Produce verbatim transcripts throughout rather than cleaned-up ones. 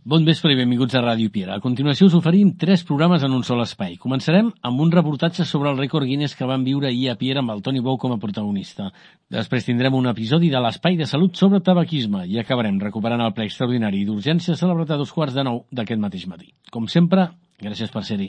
Bon vespre i benvinguts a Ràdio Piera. A continuació us oferim tres programes en un sol espai. Començarem amb un reportatge sobre el rècord Guinness que van viure ahir a Piera amb el Toni Bou com a protagonista. Després tindrem un episodi de l'Espai de Salut sobre tabaquisme i acabarem recuperant el ple extraordinari d'urgència celebrat a dos quarts de nou d'aquest mateix matí. Com sempre, gràcies per ser-hi.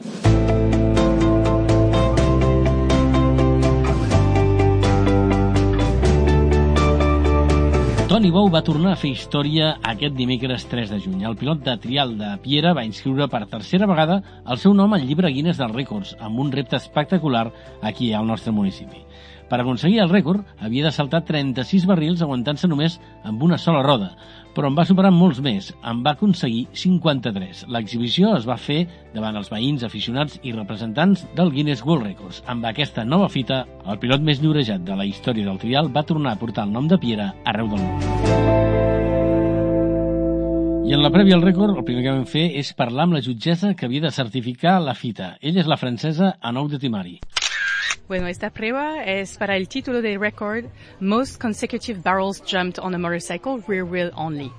Toni Bou va tornar a fer història aquest dimecres tres de juny. El pilot de trial de Piera va inscriure per tercera vegada el seu nom al llibre Guinness dels rècords, amb un repte espectacular aquí al nostre municipi. Per aconseguir el rècord, havia de saltar trenta-sis barrils aguantant-se només amb una sola roda, però en va superar molts més. En va aconseguir cinquanta-tres. L'exhibició es va fer davant els veïns, aficionats i representants del Guinness World Records. Amb aquesta nova fita, el pilot més llorejat de la història del trial va tornar a portar el nom de Piera arreu del món. I en la prèvia al rècord, el primer que vam fer és parlar amb la jutgessa que havia de certificar la fita. Ella és la francesa Anouk de Timari. Bueno, esta prueba es para el título de récord Most Consecutive Barrels Jumped on a Motorcycle Rear Wheel Only.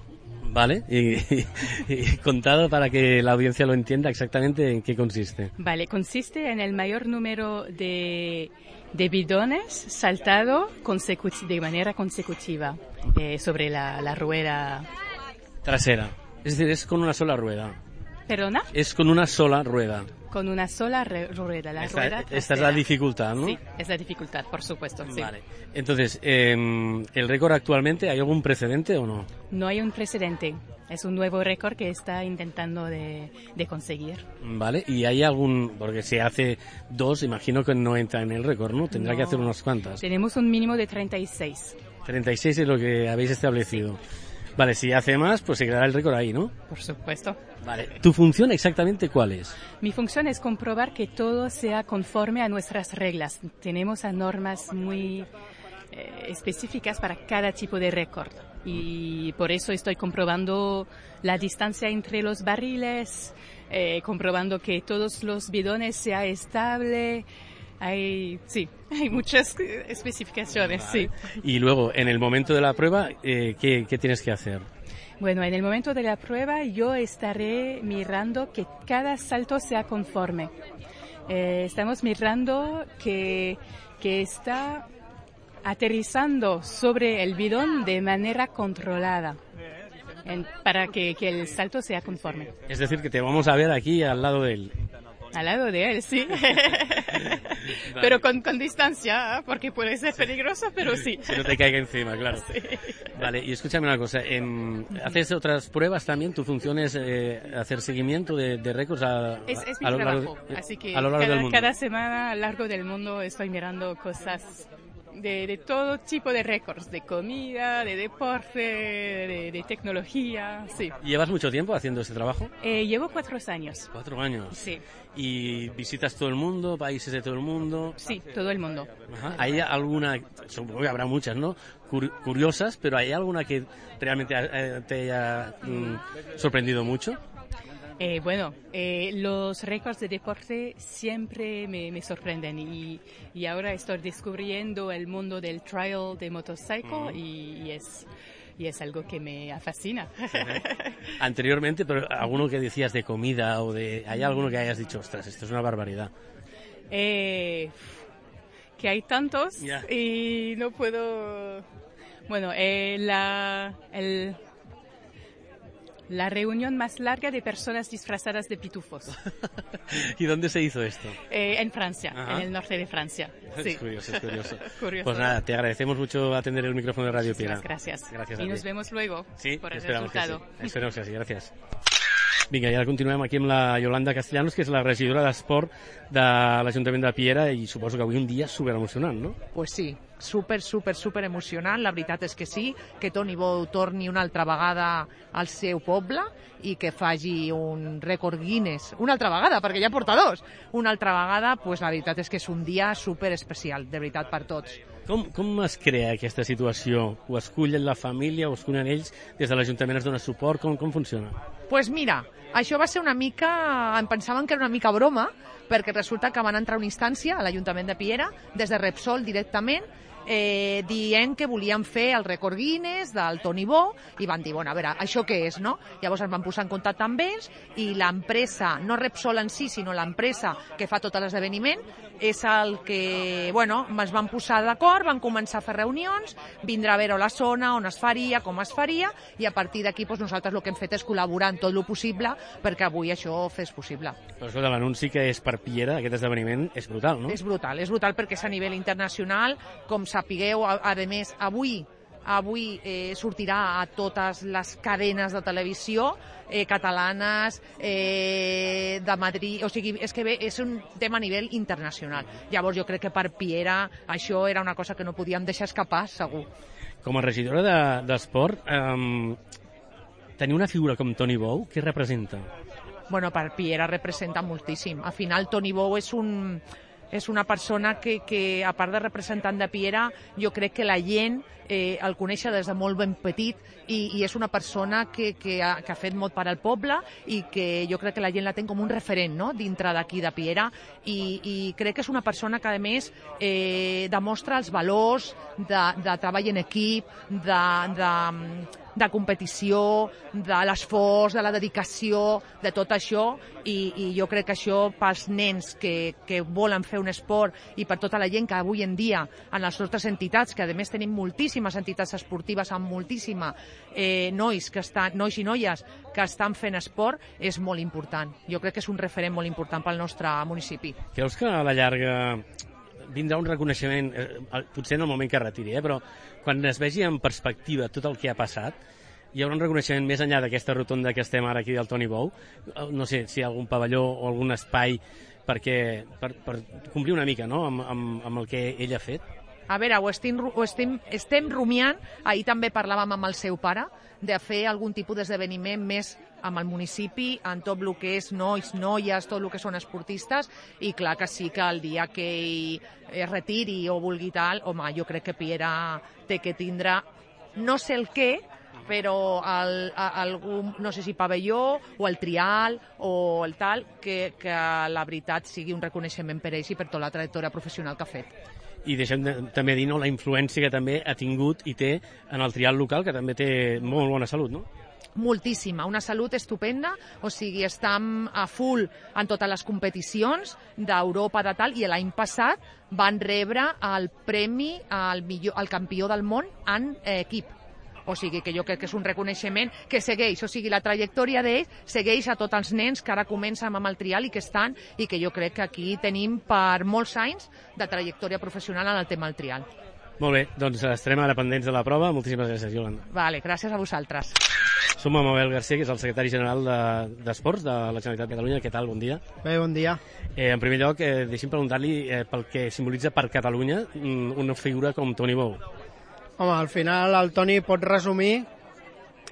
Vale, y, y, y contado para que la audiencia lo entienda exactamente en qué consiste. Vale, consiste en el mayor número de, de bidones saltado consecuti- de manera consecutiva eh, sobre la, la rueda trasera. Es decir, es con una sola rueda. ¿Perdona? Es con una sola rueda. Con una sola re- rueda, la esta, rueda esta es la dificultad, ¿no? Sí, es la dificultad, por supuesto, sí. Vale. Entonces, eh, ¿el récord actualmente hay algún precedente o no? No hay un precedente. Es un nuevo récord que está intentando de, de conseguir. Vale, ¿y hay algún...? Porque si hace dos, imagino que no entra en el récord, ¿no? Tendrá No. que hacer unas cuantas. Tenemos un mínimo de treinta y seis. treinta y seis es lo que habéis establecido. Sí. Vale, si hace más, pues se quedará el récord ahí, ¿no? Por supuesto. Vale. ¿Tu función exactamente cuál es? Mi función es comprobar que todo sea conforme a nuestras reglas. Tenemos normas muy eh, específicas para cada tipo de récord. Y por eso estoy comprobando la distancia entre los barriles, eh, comprobando que todos los bidones sea estable. Hay, sí, hay muchas especificaciones, Vale. sí. Y luego, en el momento de la prueba, eh, ¿qué, ¿qué tienes que hacer? Bueno, en el momento de la prueba yo estaré mirando que cada salto sea conforme. Eh, estamos mirando que, que está aterrizando sobre el bidón de manera controlada en, para que, que el salto sea conforme. Es decir, que te vamos a ver aquí al lado de él. Al lado de él, sí. Vale. Pero con, con distancia, porque puede ser peligroso, pero sí. Que no te caiga encima, claro. Sí. Vale, y escúchame una cosa. En, ¿haces otras pruebas también? ¿Tu función es eh, hacer seguimiento de, de récords a, Es, es mi a lo largo, trabajo, así que a lo largo cada, del mundo? cada semana a lo largo del mundo estoy mirando cosas de, de todo tipo de récords, de comida, de deporte, de, de tecnología, sí. ¿Llevas mucho tiempo haciendo este trabajo? Eh, llevo cuatro años. Cuatro años. Sí. ¿Y visitas todo el mundo, países de todo el mundo? Sí, todo el mundo. Ajá. ¿Hay alguna, supongo que habrá muchas, ¿no? Cur- curiosas, pero ¿hay alguna que realmente eh, te haya mm, sorprendido mucho? Eh, bueno, eh, los récords de deporte siempre me, me sorprenden y, y ahora estoy descubriendo el mundo del trial de motorcycle uh-huh. y, y es... Y es algo que me fascina. Anteriormente, pero alguno que decías de comida o de... ¿Hay alguno que hayas dicho, ostras, esto es una barbaridad? Eh, que hay tantos yeah. y no puedo... Bueno, eh, la... El, La reunión más larga de personas disfrazadas de pitufos. ¿Y dónde se hizo esto? Eh, en Francia, Ajá. en el norte de Francia. Sí. Es curioso, es curioso. curioso. Pues nada, te agradecemos mucho atender el micrófono de Radio Piera. Gracias. Gracias a y ti. nos vemos luego sí, por el esperamos resultado. Que sí. Esperamos que sí, gràcies. Vinga, i ara continuem aquí amb la Yolanda Castellanos, que és la regidora d'Esport de l'Ajuntament de Piera, i suposo que avui un dia superemocionant, no? Pues sí, super, super, super emocionant. La veritat és que sí, que Toni Bou torni una altra vegada al seu poble i que faci un rècord Guinness una altra vegada, perquè ja porta dos. Una altra vegada, pues la veritat és que és un dia super especial, de veritat, per tots. Com, com es crea aquesta situació? Ho escullen la família, ho escullen ells? Des de l'Ajuntament es dona suport? Com, com funciona? Pues mira, això va ser una mica... Em pensaven que era una mica broma, perquè resulta que van entrar una instància a l'Ajuntament de Piera, des de Repsol directament, eh, dient que volien fer el rècord Guinness del Toni Bou i van dir, bueno, a veure, això què és, no? Llavors es van posar en contacte amb ells i l'empresa, no Repsol en si, sinó l'empresa que fa tot l'esdeveniment, és el que, bueno, es van posar d'acord, van començar a fer reunions, vindrà a veure la zona, on es faria, com es faria, i a partir d'aquí doncs, nosaltres el que hem fet és col·laborar en tot el possible perquè avui això fes possible. Però escolta, l'anunci que és per Piera, aquest esdeveniment, és brutal, no? És brutal, és brutal perquè és a nivell internacional, com sapigueu, a, a més, avui avui eh, sortirà a totes les cadenes de televisió eh, catalanes, eh, de Madrid, o sigui, és que bé, és un tema a nivell internacional. Llavors jo crec que per Piera això era una cosa que no podíem deixar escapar, segur. Com a regidora d'esport, de, eh, tenir una figura com Toni Bou, què representa? Bueno, per Piera representa moltíssim. Al final Toni Bou és un... és una persona que, que, a part de representant de Piera, jo crec que la gent eh, el coneix des de molt ben petit i, i és una persona que, que, ha, que ha fet molt per al poble i que jo crec que la gent la té com un referent, no?, dintre d'aquí de Piera i, i crec que és una persona que a més eh, demostra els valors de, de treball en equip, de, de, de competició, de l'esforç, de la dedicació, de tot això i, i jo crec que això pels nens que, que volen fer un esport i per tota la gent que avui en dia en les nostres entitats, que a més tenim moltíssimes entitats esportives amb moltíssima eh, nois, que estan, nois i noies que estan fent esport, és molt important. Jo crec que és un referent molt important pel nostre municipi. Creus que a la llarga vindrà un reconeixement, eh, potser en el moment que retiri, eh, però quan es vegi en perspectiva tot el que ha passat, hi haurà un reconeixement més enllà d'aquesta rotonda que estem ara aquí del Toni Bou? No sé si hi ha algun pavelló o algun espai perquè, per, per complir una mica, no?, amb, amb, amb el que ell ha fet? A veure, ho estem, ho estem, estem rumiant, ahir també parlàvem amb el seu pare, de fer algun tipus d'esdeveniment més amb el municipi, en tot el que és nois, noies, tot el que són esportistes, i clar que sí que el dia que ell es retiri o vulgui tal, home, jo crec que Piera té que tindre, no sé el què, però el, algun, no sé si pavelló o el trial o el tal, que, que la veritat sigui un reconeixement per ells i per tota la trajectòria professional que ha fet. I deixem de, també dir, no, la influència que també ha tingut i té en el trial local, que també té molt bona salut, no? Moltíssima, una salut estupenda, o sigui, estem a full en totes les competicions d'Europa de tal, i l'any passat van rebre el premi al, millor, al campió del món en eh, equip. O sigui que jo crec que és un reconeixement que segueix, o sigui, la trajectòria d'ells segueix a tots els nens que ara comencen amb el trial i que estan, i que jo crec que aquí tenim per molts anys de trajectòria professional en el tema del trial. Molt bé, doncs estarem ara pendents de la prova. Moltíssimes gràcies, Iolanda. Vale, gràcies a vosaltres. Som amb Abel García, que és el secretari general d'Esports de, de la Generalitat de Catalunya. Què tal? Bon dia. Bé, bon dia. Eh, en primer lloc, eh, deixi'm preguntar-li eh, pel que simbolitza per Catalunya una figura com Toni Bou. Home, al final el Toni pot resumir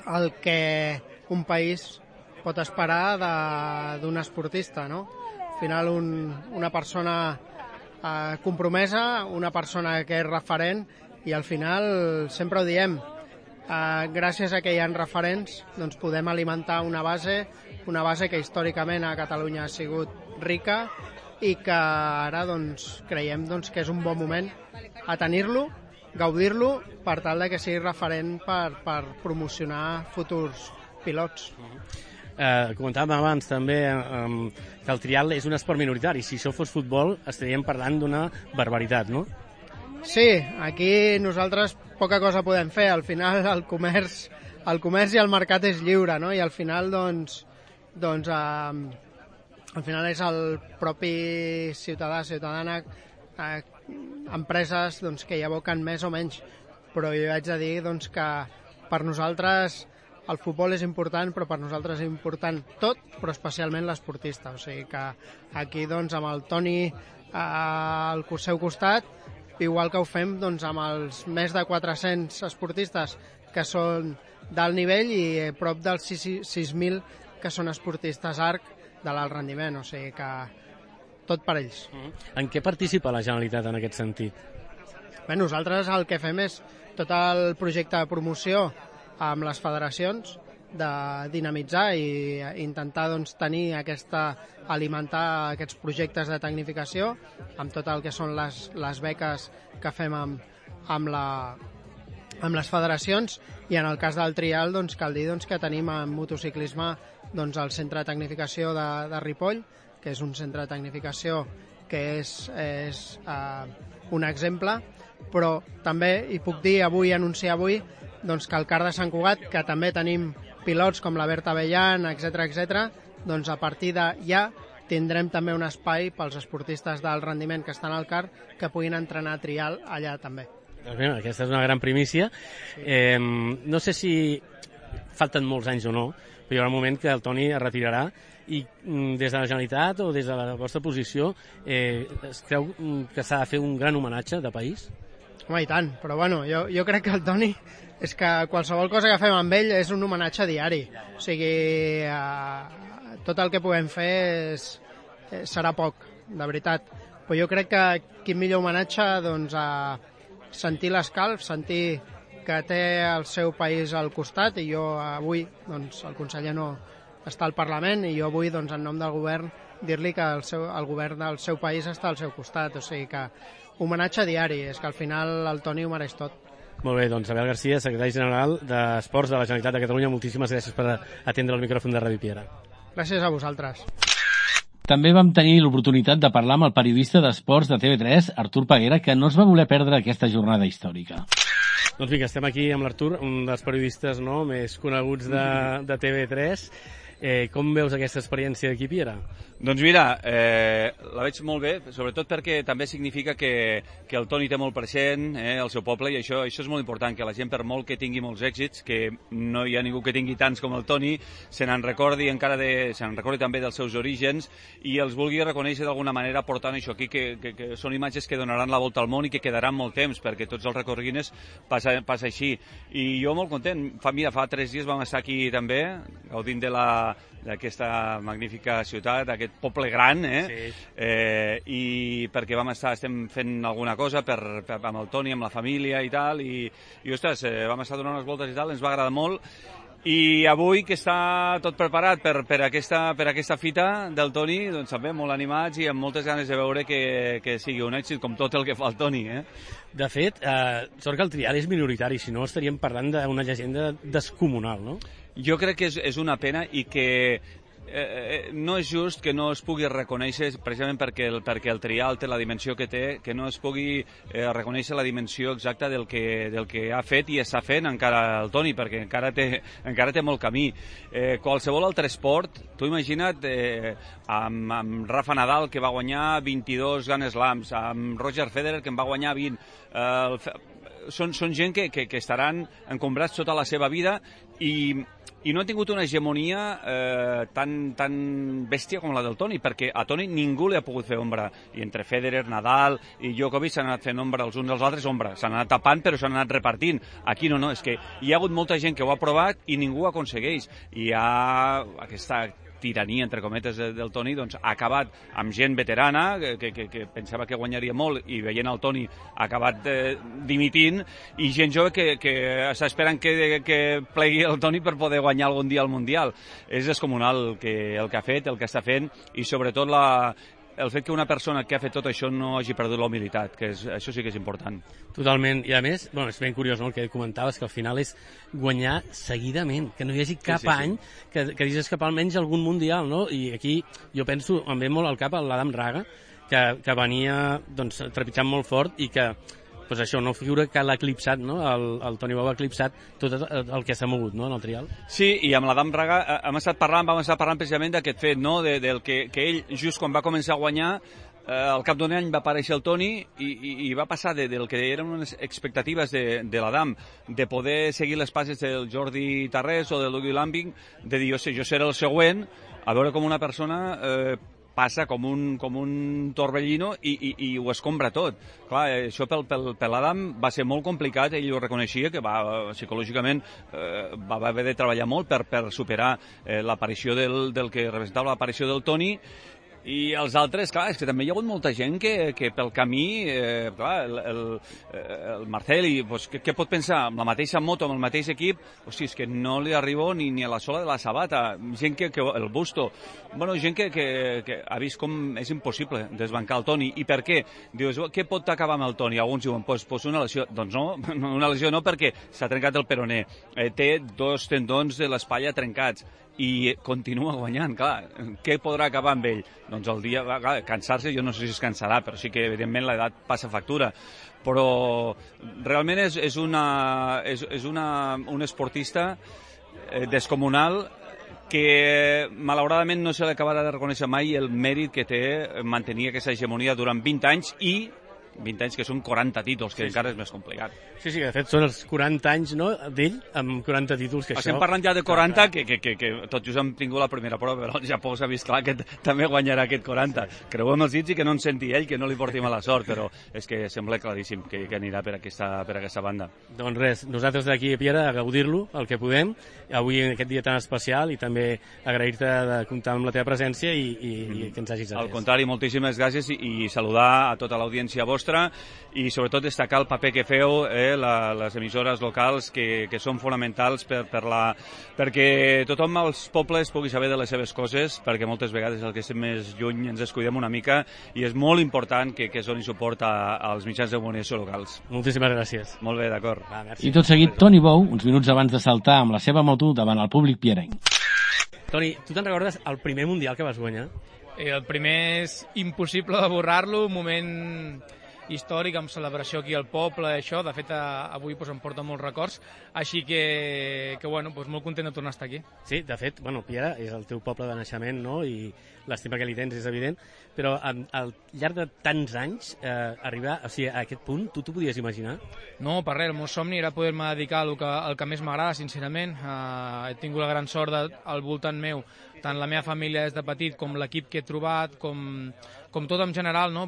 el que un país pot esperar d'un esportista, no? Al final un, una persona eh, compromesa, una persona que és referent, i al final sempre ho diem, eh, gràcies a que hi ha referents doncs podem alimentar una base, una base que històricament a Catalunya ha sigut rica i que ara doncs, creiem doncs, que és un bon moment a tenir-lo, gaudir-lo, per tal de que sigui referent per, per promocionar futurs pilots. Eh, comentàvem abans també eh, que el trial és un esport minoritari. Si això fos futbol estaríem parlant d'una barbaritat, no? Sí, aquí nosaltres poca cosa podem fer. Al final el comerç, el comerç i el mercat és lliure, no? I al final doncs, doncs eh, al final és el propi ciutadà, ciutadana, eh, empreses doncs, que hi aboquen més o menys, però jo haig de dir doncs, que per nosaltres el futbol és important, però per nosaltres és important tot, però especialment l'esportista. O sigui que aquí doncs, amb el Toni eh, al seu costat, igual que ho fem doncs, amb els més de quatre-cents esportistes que són d'alt nivell i prop dels sis mil que són esportistes arc de l'alt rendiment. O sigui que tot per ells. En què participa la Generalitat en aquest sentit? Bé, nosaltres el que fem és tot el projecte de promoció amb les federacions, de dinamitzar i intentar doncs, tenir aquesta, alimentar aquests projectes de tecnificació amb tot el que són les, les beques que fem amb, amb, la, amb les federacions, i en el cas del trial doncs, cal dir doncs, que tenim en motociclisme doncs, el centre de tecnificació de, de Ripoll, que és un centre de tecnificació que és, és uh, un exemple, però també hi puc dir avui, anunciar avui, doncs, que al Kart de Sant Cugat, que també tenim pilots com la Berta Bellan, etcètera, etcètera, doncs a partir de ja tindrem també un espai pels esportistes d'alt rendiment que estan al kart que puguin entrenar trial allà també. Doncs bé, aquesta és una gran primícia. Eh, no sé si falten molts anys o no, però hi haurà un moment que el Toni es retirarà i des de la Generalitat o des de la vostra posició eh, es creu que s'ha de fer un gran homenatge de país? Home, i tant, però bueno, jo, jo crec que el Toni és que qualsevol cosa que fem amb ell és un homenatge diari, o sigui eh, tot el que puguem fer és, eh, serà poc, de veritat, però jo crec que quin millor homenatge doncs, a sentir l'escalf, sentir que té el seu país al costat, i jo avui, doncs, el conseller no està al Parlament, i jo avui, doncs, en nom del govern, dir-li que el, seu, el govern del seu país està al seu costat, o sigui que homenatge diari, és que al final el Toni ho mereix tot. Molt bé, doncs Abel García, secretari general d'Esports de la Generalitat de Catalunya, moltíssimes gràcies per atendre el micròfon de Ràdio Piera. Gràcies a vosaltres. També vam tenir l'oportunitat de parlar amb el periodista d'esports de T V tres, Artur Peguera, que no es va voler perdre aquesta jornada històrica. Doncs vinga, estem aquí amb l'Artur, un dels periodistes no, més coneguts de, de T V tres. Eh, com veus aquesta experiència d'aquí, Piera? Doncs mira, eh, la veig molt bé, sobretot perquè també significa que, que el Toni té molt present eh, el seu poble, i això, això és molt important, que la gent, per molt que tingui molts èxits, que no hi ha ningú que tingui tants com el Toni, se n'en recordi encara de, se n'en recordi també dels seus orígens i els vulgui reconèixer d'alguna manera portant això aquí, que, que, que són imatges que donaran la volta al món i que quedaran molt temps, perquè tots els recorguines passa, passa així. I jo molt content, fa, mira, fa tres dies vam estar aquí també, gaudint de la d'aquesta magnífica ciutat, aquest poble gran, eh? Sí. Eh, i perquè vam estar, estem fent alguna cosa per, per, amb el Toni, amb la família i tal, i, i ostres, eh, vam estar donant unes voltes i tal, ens va agradar molt, i avui que està tot preparat per, per, aquesta, per aquesta fita del Toni, doncs també molt animats i amb moltes ganes de veure que, que sigui un èxit, com tot el que fa el Toni, eh? De fet, eh, sort que el trial és minoritari, si no estaríem parlant d'una llegenda descomunal, no? Jo crec que és, és una pena i que eh, no és just que no es pugui reconèixer, precisament perquè el, perquè el trial té la dimensió que té, que no es pugui eh, reconèixer la dimensió exacta del que, del que ha fet i està fent encara el Toni, perquè encara té, encara té molt camí. Eh, qualsevol altre esport, tu imagina't eh, amb, amb Rafa Nadal, que va guanyar vint-i-dos Grand Slams, amb Roger Federer, que en va guanyar vint, eh, el, són, són gent que, que, que estaran encombrats tota la seva vida i i no ha tingut una hegemonia eh, tan, tan bèstia com la del Toni, perquè a Toni ningú li ha pogut fer ombra, i entre Federer, Nadal i Djokovic s'han anat fent ombra els uns als altres, ombra, s'han anat tapant però s'han anat repartint. Aquí no, no, és que hi ha hagut molta gent que ho ha provat i ningú ho aconsegueix, i hi ha aquesta tirania, entre cometes, del Toni, doncs ha acabat amb gent veterana que, que, que pensava que guanyaria molt i veient el Toni ha acabat eh, dimitint, i gent jove que, que està esperant que, que plegui el Toni per poder guanyar algun dia al Mundial. És descomunal el que, el que ha fet, el que està fent, i sobretot la, el fet que una persona que ha fet tot això no hagi perdut la humilitat, que és, això sí que és important. Totalment, i a més, bueno, és ben curiós, no?, el que comentaves, que al final és guanyar seguidament, que no hi hagi cap sí, sí, sí. any que, que hagis escapar almenys algun Mundial, no? I aquí jo penso, em ve molt al cap l'Adam Raga, que, que venia doncs, trepitjant molt fort i que pues això, no figura que l'ha eclipsat, no? El, el Toni Bou ha eclipsat tot el que s'ha mogut, no?, en el trial. Sí, i amb l'Adam Raga hem estat parlant, vam estar parlant precisament d'aquest fet, no?, de, del que, que ell, just quan va començar a guanyar, eh, al cap d'un any va aparèixer el Toni i, i, i va passar de, del que eren unes expectatives de, de l'Adam, de poder seguir les passes del Jordi Tarrés o del Luigi Lambing, de dir, jo sé, jo seré el següent, a veure com una persona eh, passa com un, com un torbellino i, i, i ho escombra tot. Clar, això pel, pel, per l'Adam va ser molt complicat, ell ho reconeixia, que va, psicològicament eh, va haver de treballar molt per, per superar eh, l'aparició del, del que representava l'aparició del Toni, I els altres, clar, és que també hi ha hagut molta gent que, que pel camí, eh, clar, el, el, el Marceli, pues, què, què pot pensar? Amb la mateixa moto, amb el mateix equip, hosti, és que no li arribo ni, ni a la sola de la sabata. Gent que, que el Busto, bueno, gent que, que, que ha vist com és impossible desbancar el Toni. I per què? Dius, què pot acabar amb el Toni? Alguns diuen, pues, pues una lesió. Doncs no, una lesió no, perquè s'ha trencat el peroné. Eh, té dos tendons de l'espatlla trencats i continua guanyant, clar. Què podrà acabar amb ell? Doncs el dia, clar, cansar-se, jo no sé si es cansarà, però sí que, evidentment, l'edat passa factura. Però realment és, és, una, és, és una, un esportista eh, descomunal que, malauradament, no se li acabarà de reconèixer mai el mèrit que té mantenir aquesta hegemonia durant vint anys i vint anys que són quaranta títols, que sí, encara és més complicat. Sí, sí, de fet són els quaranta anys, no?, d'ell, amb quaranta títols, que Estem això... parlant ja de quaranta, que, que, que, que tot just hem tingut la primera prova, però el Japó s'ha vist clar que també guanyarà aquest quaranta. Sí. Creuem els dits i que no ens senti ell, que no li porti mala sort, però és que sembla claríssim que, que anirà per aquesta, per aquesta banda. Doncs res, nosaltres d'aquí a Piera a gaudir-lo, el que podem, avui en aquest dia tan especial, i també agrair-te de comptar amb la teva presència i, i, mm. i que ens hagis atès. Al contrari, moltíssimes gràcies i, i saludar a tota l'audiència vostra i sobretot destacar el paper que feu, eh, la, les emissores locals que, que són fonamentals per, per la, perquè tothom als pobles pugui saber de les seves coses, perquè moltes vegades el que estem més lluny ens descuidem una mica i és molt important que, que es doni suport a, als mitjans de comunicació locals. Moltíssimes gràcies. Molt bé, d'acord. I tot seguit, Toni Bou, uns minuts abans de saltar amb la seva moto davant el públic pierenc. Toni, tu te'n recordes el primer Mundial que vas guanyar? Eh, el primer és impossible de borrar-lo, un moment històric, amb celebració aquí al poble, això, de fet avui doncs, em porta molts records, així que, que bueno, doncs, molt content de tornar a estar aquí. Sí, de fet, bueno, Piera és el teu poble de naixement, no?, i l'estima que li tens és evident, però al llarg de tants anys eh, arribar o sigui, a aquest punt, tu t'ho podies imaginar? No, per res, el meu somni era poder-me dedicar al que, al que més m'agrada, sincerament. Uh, he tingut la gran sort de, al voltant meu, tant la meva família des de petit com l'equip que he trobat, com, com tot en general, no?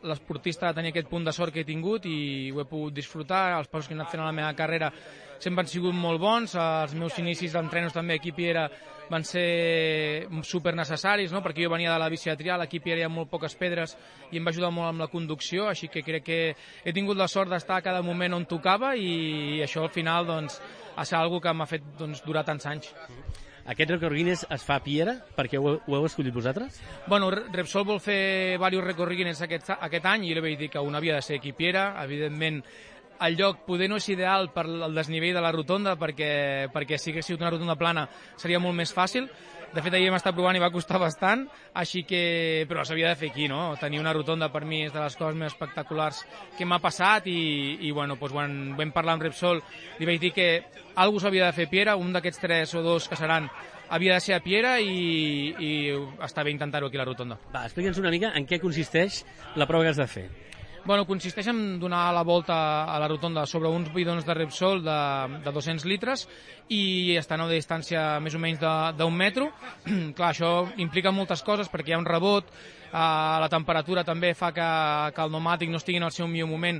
L'esportista ha de tenir aquest punt de sort que he tingut i ho he pogut disfrutar. Els passos que he anat fent a la meva carrera sempre han sigut molt bons, els meus inicis d'entrenos també aquí a Piera van ser super necessaris, no? Perquè jo venia de la bici de trial, aquí a Piera hi ha molt poques pedres i em va ajudar molt amb la conducció, així que crec que he tingut la sort d'estar a cada moment on tocava i això al final doncs, ha estat una cosa que m'ha fet doncs, durar tants anys. Aquest rècord Guinness es fa a Piera? Perquè ho, ho heu escollit vosaltres? Bueno, Repsol vol fer diversos rècords Guinness aquest, aquest any i jo li vaig dir que un havia de ser aquí a Piera. Evidentment, el lloc poder no és ideal per el desnivell de la rotonda perquè, perquè si hagués sigut una rotonda plana seria molt més fàcil. De fet, ahir hem estat provant i va costar bastant, així que... però s'havia de fer aquí, no? Tenir una rotonda per mi és de les coses més espectaculars que m'ha passat i, i bueno, doncs, quan vam parlar amb Repsol li vaig dir que algú s'havia de fer a Piera, un d'aquests tres o dos que seran havia de ser a Piera i, i està bé intentar-ho aquí a la rotonda. Va, explica'ns una mica en què consisteix la prova que has de fer. Bueno, consisteix en donar la volta a la rotonda sobre uns bidons de Repsol de, de dos-cents litres i estan a una distància més o menys d'un metro. Clar, això implica moltes coses perquè hi ha un rebot, eh, la temperatura també fa que, que el pneumàtic no estigui en el seu millor moment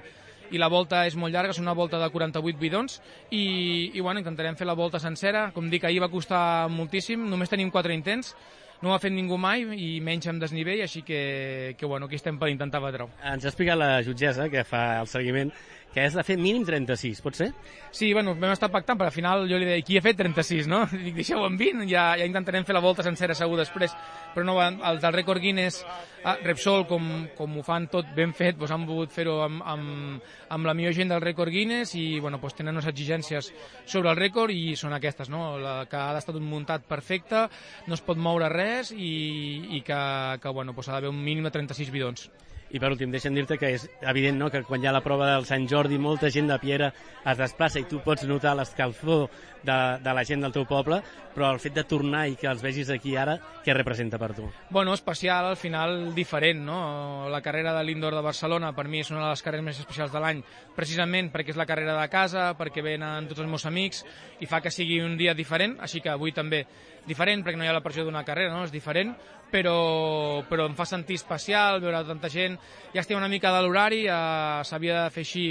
i la volta és molt llarga, són una volta de quaranta-vuit bidons i, i bueno, intentarem fer la volta sencera. Com dic, ahir va costar moltíssim, només tenim quatre intents. No ho ha fet ningú mai i menys amb desnivell, així que, que bueno, aquí estem per intentar batre-ho. Ens ha explicat la jutgessa, que fa el seguiment, que has de fer mínim trenta-sis, pot ser? Sí, bueno, vam estar pactant, però al final jo li deia, qui ha fet trenta-sis, no? Dic, deixeu-ho en vint, ja, ja intentarem fer la volta sencera segur després. Però no, els del rècord Guinness, ah, Repsol, com, com ho fan tot ben fet, doncs han volgut fer-ho amb, amb, amb la millor gent del rècord Guinness i bueno, doncs tenen unes exigències sobre el rècord i són aquestes, no? La, que ha d'estar muntat perfecte, no es pot moure res i, i que, que bueno, doncs ha d'haver un mínim de trenta-sis bidons. I per últim, deixa'm dir-te que és evident, no?, que quan hi ha la prova del Sant Jordi molta gent de Piera es desplaça i tu pots notar l'escalfor de, de la gent del teu poble, però el fet de tornar i que els vegis aquí ara, què representa per tu? Bueno, especial, al final diferent, no? La carrera de l'Indoor de Barcelona per mi és una de les carreres més especials de l'any, precisament perquè és la carrera de casa, perquè venen tots els meus amics i fa que sigui un dia diferent, així que avui també diferent, perquè no hi ha la pressió d'una carrera, no? És diferent, però, però em fa sentir especial veure tanta gent. Ja estem una mica de l'horari, eh, s'havia de fer així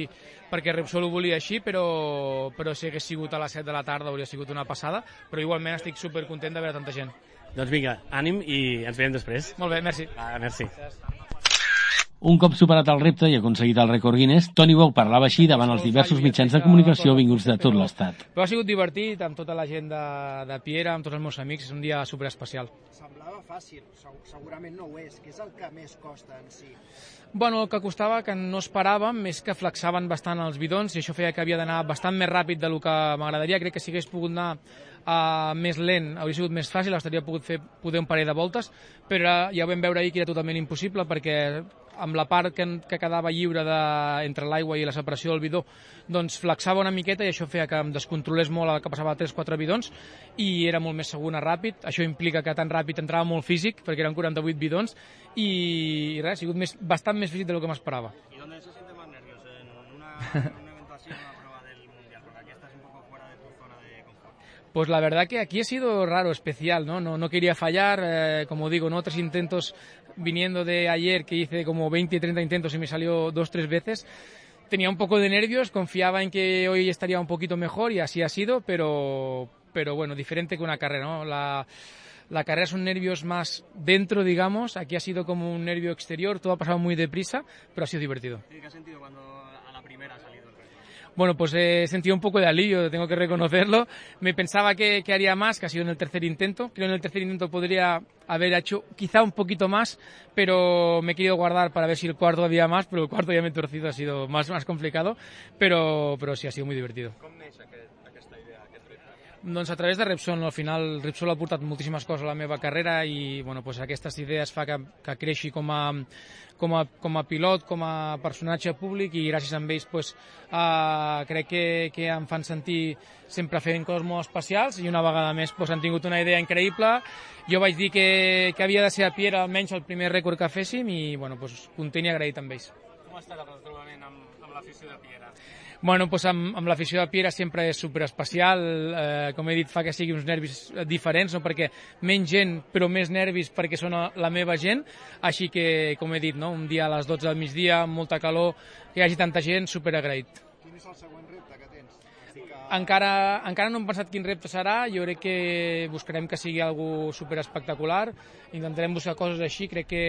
perquè Repsol ho volia així, però, però si hagués sigut a les set de la tarda hauria sigut una passada, però igualment estic supercontent de veure tanta gent. Doncs vinga, ànim i ens veiem després. Molt bé, merci. Va, merci. Un cop superat el repte i aconseguit el rècord Guinness, Toni Bou parlava així davant els diversos mitjans de comunicació vinguts de tot l'estat. Però ha sigut divertit amb tota la gent de, de Piera, amb tots els meus amics, és un dia superespecial. Semblava fàcil, segurament no ho és. Què és el que més costa en si? Bueno, el que costava, que no esperàvem, és que flexaven bastant els bidons i això feia que havia d'anar bastant més ràpid del que m'agradaria. Crec que si hagués pogut anar uh, més lent hauria sigut més fàcil, estaria pogut fer poder un parell de voltes, però ja ho vam veure ahir que era totalment impossible perquè amb la part que, que quedava lliure de, entre l'aigua i la separació del bidó, doncs flexava una miqueta i això feia que em descontrolés molt el que passava a tres quatre bidons i era molt més segur anar ràpid. Això implica que tan ràpid entrava molt físic, perquè eren quaranta-vuit bidons, i, i res, ha sigut més, bastant més físic del que m'esperava. ¿Y dónde se siente más nervioso? ¿En una, una eventación, una prueba del Mundial? Porque aquí estás un poco fuera de tu zona de confort. Pues la verdad que aquí ha sido raro, especial, ¿no? No, no quería fallar, eh, como digo, ¿no? Otros intentos viniendo de ayer que hice como veinte, treinta intentos y me salió dos, tres veces. Tenía un poco de nervios, confiaba en que hoy estaría un poquito mejor y así ha sido, pero, pero bueno, diferente que una carrera, ¿no? La, la carrera son nervios más dentro, digamos, aquí ha sido como un nervio exterior, todo ha pasado muy deprisa, pero ha sido divertido. ¿Qué has sentido cuando a la primera ha salido el reto? Bueno, pues he sentido un poco de alivio, tengo que reconocerlo. Me pensaba que, que haría más, que ha sido en el tercer intento. Creo que en el tercer intento podría haber hecho quizá un poquito más, pero me he querido guardar para ver si el cuarto había más, pero el cuarto ya me he torcido, ha sido más, más complicado, pero, pero sí, ha sido muy divertido. Com neix aquest, aquesta idea, aquest repte? Doncs a través de Repsol, no? Al final Repsol ha portat moltíssimes coses a la meva carrera i bueno, pues aquestes idees fa que, que creixi com a, com, a, com a pilot, com a personatge públic i gràcies a ells pues, uh, crec que, que em fan sentir sempre fent coses molt especials i una vegada més pues, han tingut una idea increïble. Jo vaig dir que, que havia de ser a Piera almenys el primer rècord que féssim i bueno, pues, content i agraït amb ells. Com ha estat el trobament amb, amb l'afició de Piera? Bueno, pues amb, amb l'afició de Piera sempre és superespecial, eh, com he dit fa que sigui uns nervis diferents, no? Perquè menys gent però més nervis perquè són la meva gent, així que com he dit, no? Un dia a les dotze del migdia, amb molta calor, que hi hagi tanta gent, superagraït. Quin és el següent repte que tens? Que... Encara, encara no hem pensat quin repte serà, jo crec que buscarem que sigui algo superespectacular, intentarem buscar coses així, crec que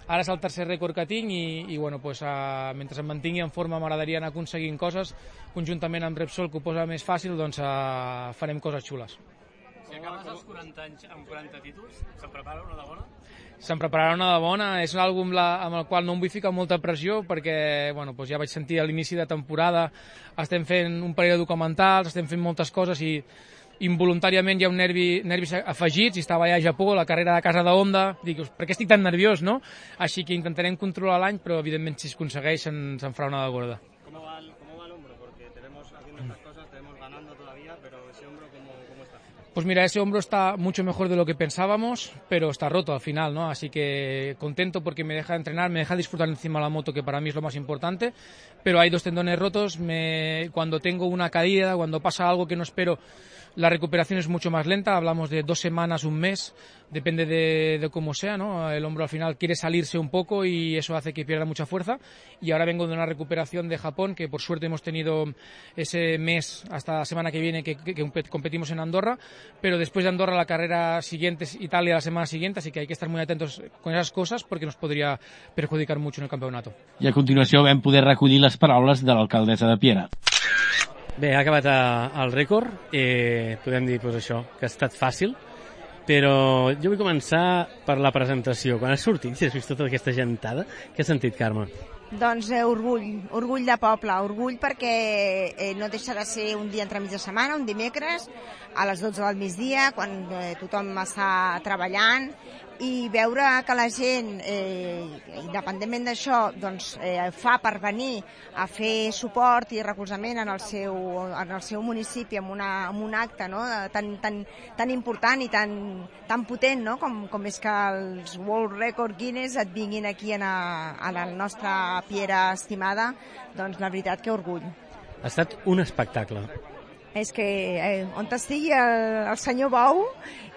ara és el tercer rècord que tinc i, i bueno, pues, uh, mentre em mantingui en forma m'agradaria anar aconseguint coses, conjuntament amb Repsol, que ho posa més fàcil, doncs uh, farem coses xules. Si acabes els quaranta anys amb quaranta títols, se'n prepara una de bona? Se'n prepararà una de bona, és un àlbum la, amb el qual no em vull ficar molta pressió perquè bueno, doncs ja vaig sentir a l'inici de temporada, estem fent un parell de documentals, estem fent moltes coses i involuntàriament hi ha un nervi, nervis afegits i estava allà a Japó, la carrera de casa de Honda, dic, per què estic tan nerviós, no? Així que intentarem controlar l'any, però evidentment si es aconsegueix se'n se farà una de gorda. ¿Cómo va el, cómo va el hombro? Porque tenemos haciendo estas cosas, tenemos ganando todavía, pero ese hombro, ¿cómo, cómo está? Pues mira, ese hombro está mucho mejor de lo que pensábamos, pero está roto al final, ¿no? Así que contento porque me deja entrenar, me deja disfrutar encima de la moto, que para mí es lo más importante, pero hay dos tendones rotos, me, cuando tengo una caída, cuando pasa algo que no espero, la recuperación es mucho más lenta, hablamos de dos semanas, un mes, depende de, de cómo sea, ¿no? El hombro al final quiere salirse un poco y eso hace que pierda mucha fuerza. Y ahora vengo de una recuperación de Japón, que por suerte hemos tenido ese mes hasta la semana que viene que, que, que competimos en Andorra, pero después de Andorra la carrera siguiente es Italia la semana siguiente, así que hay que estar muy atentos con esas cosas porque nos podría perjudicar mucho en el campeonato. I a continuació vam poder recollir les paraules de l'alcaldessa de Piera. Bé, ha acabat el rècord, eh, podem dir pues, això, que ha estat fàcil, però jo vull començar per la presentació. Quan has sortit i has vist tota aquesta gentada, què has sentit, Carme? Doncs eh, orgull, orgull de poble, orgull perquè eh, no deixa de ser un dia entremig de setmana, un dimecres, a les dotze del migdia, quan eh, tothom està treballant, i veure que la gent, eh, independentment d'això, doncs, eh, fa per venir a fer suport i recolzament en el seu, en el seu municipi amb, una, amb un acte no? tan, tan, tan important i tan, tan potent no? com, com és que els World Record Guinness et vinguin aquí a, a la nostra Piera estimada, doncs la veritat que orgull. Ha estat un espectacle. És que eh, on estigui el, el senyor Bou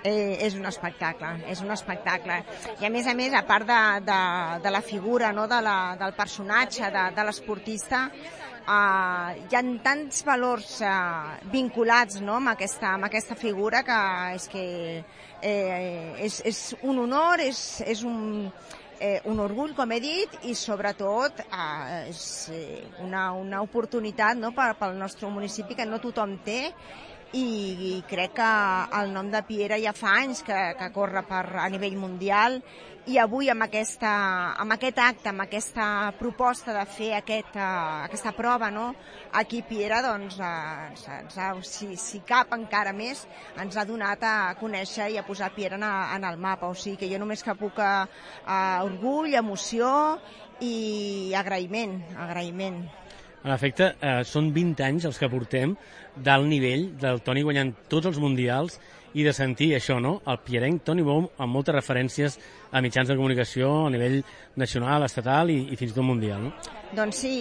eh, és un espectacle, és un espectacle. I a més a més, a part de, de, de la figura, no, de la, del personatge, de, de l'esportista, Uh, hi ha tants valors uh, vinculats, no?, amb, aquesta, amb aquesta figura que és que eh, és, és un honor, és, és un, eh, un orgull, com he dit, i sobretot uh, és una, una oportunitat, no?, per, pel nostre municipi que no tothom té, i, i crec que el nom de Piera ja fa anys que, que corre per, a nivell mundial, i avui amb, aquesta, amb aquest acte, amb aquesta proposta de fer aquest, uh, aquesta prova, no?, aquí Piera, doncs, uh, ens, ens ha, si, si cap encara més, ens ha donat a conèixer i a posar Piera en, en el mapa. O sigui que jo només que puc uh, orgull, emoció i agraïment, agraïment. En efecte, eh, són vint anys els que portem d'alt nivell, del Toni guanyant tots els mundials, i de sentir això, no?, el pierenc Toni Bou amb moltes referències a mitjans de comunicació a nivell nacional, estatal i, i fins i tot mundial, no? Doncs sí,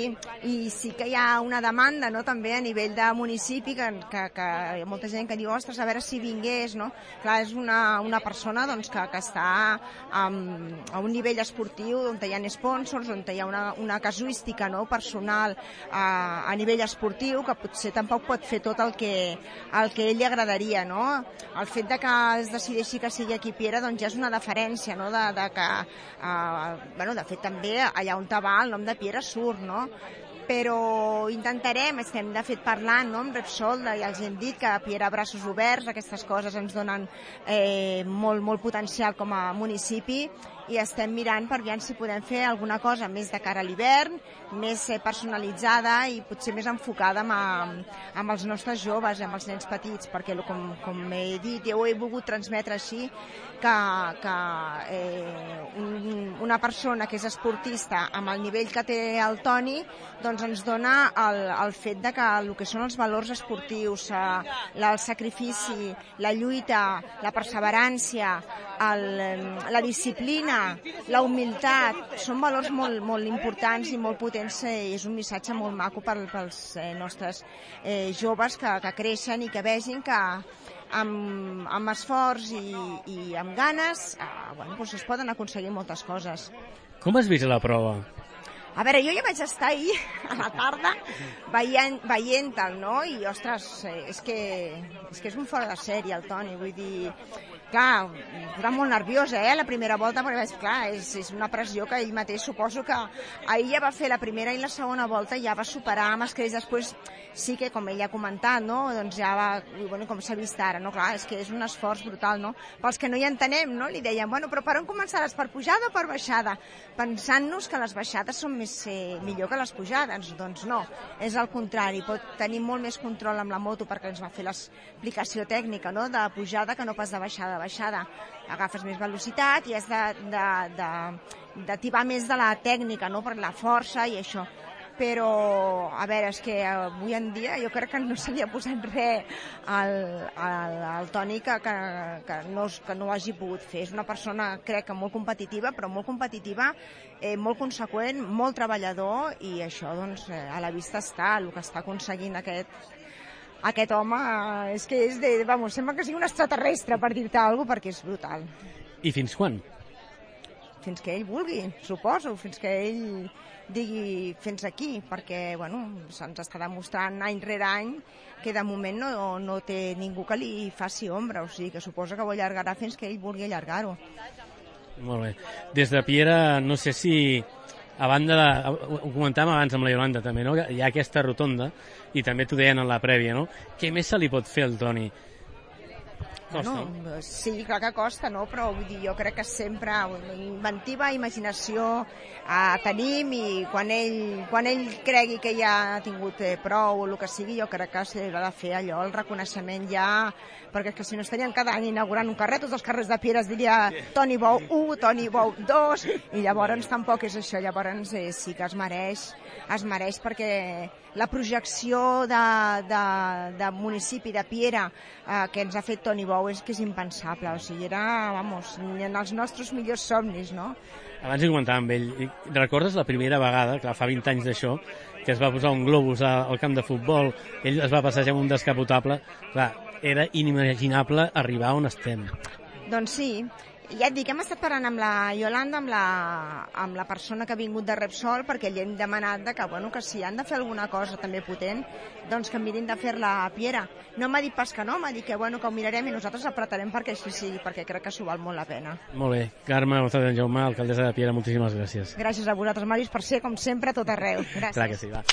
i sí que hi ha una demanda, no?, també a nivell de municipi, que, que, que hi ha molta gent que diu, ostres, a veure si vingués, no? Clar, és una, una persona, doncs, que, que està um, a un nivell esportiu on hi ha sponsors, on hi ha una, una casuística, no?, personal uh, a nivell esportiu, que potser tampoc pot fer tot el que, el que ell li agradaria, no? El fet de que es decideixi que sigui aquí Piera, doncs ja és una deferència, no?, de, de que, uh, bueno, de fet també allà on va el nom de Piera surt, no? Però intentarem, estem de fet parlant, no?, amb Repsol, i els hem dit que Piera braços oberts, aquestes coses ens donen eh, molt, molt potencial com a municipi, i estem mirant per veure si podem fer alguna cosa més de cara a l'hivern, més personalitzada i potser més enfocada amb, a, amb els nostres joves, amb els nens petits, perquè com, com he dit, jo ho he volgut transmetre així, que, que eh, un, una persona que és esportista amb el nivell que té el Toni, doncs ens dona el, el fet de que el que són els valors esportius, eh, el sacrifici, la lluita, la perseverància, el, la disciplina, la humilitat, són valors molt, molt importants i molt potents, i és un missatge molt maco per, pels eh, nostres eh, joves que, que creixen i que vegin que amb, amb esforç i, i amb ganes eh, bueno, doncs es poden aconseguir moltes coses. Com has vist la prova? A veure, jo ja vaig estar ahir a la tarda veient, veient-te'l, no? I, ostres, és que, és que és un fora de sèrie, el Toni, vull dir... Clar, era molt nerviosa, eh, la primera volta, perquè, clar, és, és una pressió que ell mateix, suposo que ahir ja va fer la primera i la segona volta, ja va superar amb els creix, després sí que, com ell ha comentat, no?, doncs ja va, bueno, com s'ha vist ara, no?, clar, és que és un esforç brutal, no?, pels que no hi entenem, no?, li deien, bueno, però per on començaràs, per pujada o per baixada? Pensant-nos que les baixades són més, eh, millor que les pujades, doncs no, és al contrari, pot tenir molt més control amb la moto perquè ens va fer l'explicació tècnica, no?, de pujada que no pas de baixada. baixada, agafes més velocitat i has de, de, de, de tibar més de la tècnica, no?, per la força i això. Però, a veure, és que avui en dia jo crec que no se li ha posat res al, al, al Toni que, que, que, no, que no ho hagi pogut fer. És una persona, crec que molt competitiva, però molt competitiva, eh, molt conseqüent, molt treballador, i això, doncs, a la vista està, el que està aconseguint aquest Aquest home, és que és de... Vamos, sembla que sigui un extraterrestre, per dir-te alguna cosa, perquè és brutal. I fins quan? Fins que ell vulgui, suposo, fins que ell digui fins aquí, perquè, bueno, se'ns està demostrant any rere any que de moment no, no té ningú que li faci ombra, o sigui que suposa que ho allargarà fins que ell vulgui allargar-ho. Molt bé. Des de Piera, no sé si... A banda de, ho comentàvem abans amb la Iolanda també, no? Hi ha aquesta rotonda i també t'ho deien en la prèvia, no? Què més se li pot fer al Toni? Costa, bueno, no? Sí, clar que costa, no? Però vull dir, jo crec que sempre inventiva, imaginació eh, tenim, i quan ell, quan ell cregui que ja ha tingut eh, prou o el que sigui, jo crec que s'haurà de fer allò, el reconeixement ja, perquè que si no estarien cada any inaugurant un carrer, tots els carrers de Piera es diria Toni Bou u, Toni Bou dos, i llavors tampoc és això, llavors eh, sí que es mereix, es mereix perquè la projecció de, de, de municipi de Piera eh, que ens ha fet Toni Bou és que és impensable, o sigui, era, vamos, en els nostres millors somnis, no? Abans hi comentava amb ell, recordes la primera vegada, clar, fa vint anys d'això, que es va posar un globus al camp de futbol, ell es va passejar amb un descapotable, clar, era inimaginable arribar on estem. Doncs sí, Ja et dic, hem estat parlant amb la Yolanda, amb la, amb la persona que ha vingut de Repsol, perquè li hem demanat de que, bueno, que si han de fer alguna cosa també potent, doncs que mirin de fer-la a Piera. No m'ha dit pas que no, m'ha dit que, bueno, que ho mirarem i nosaltres apretarem perquè així sigui, perquè crec que s'ho val molt la pena. Molt bé. Carme González en Jaume, alcaldessa de Piera, moltíssimes gràcies. Gràcies a vosaltres, Màrius, per ser, com sempre, a tot arreu. Gràcies. Clar que sí, va.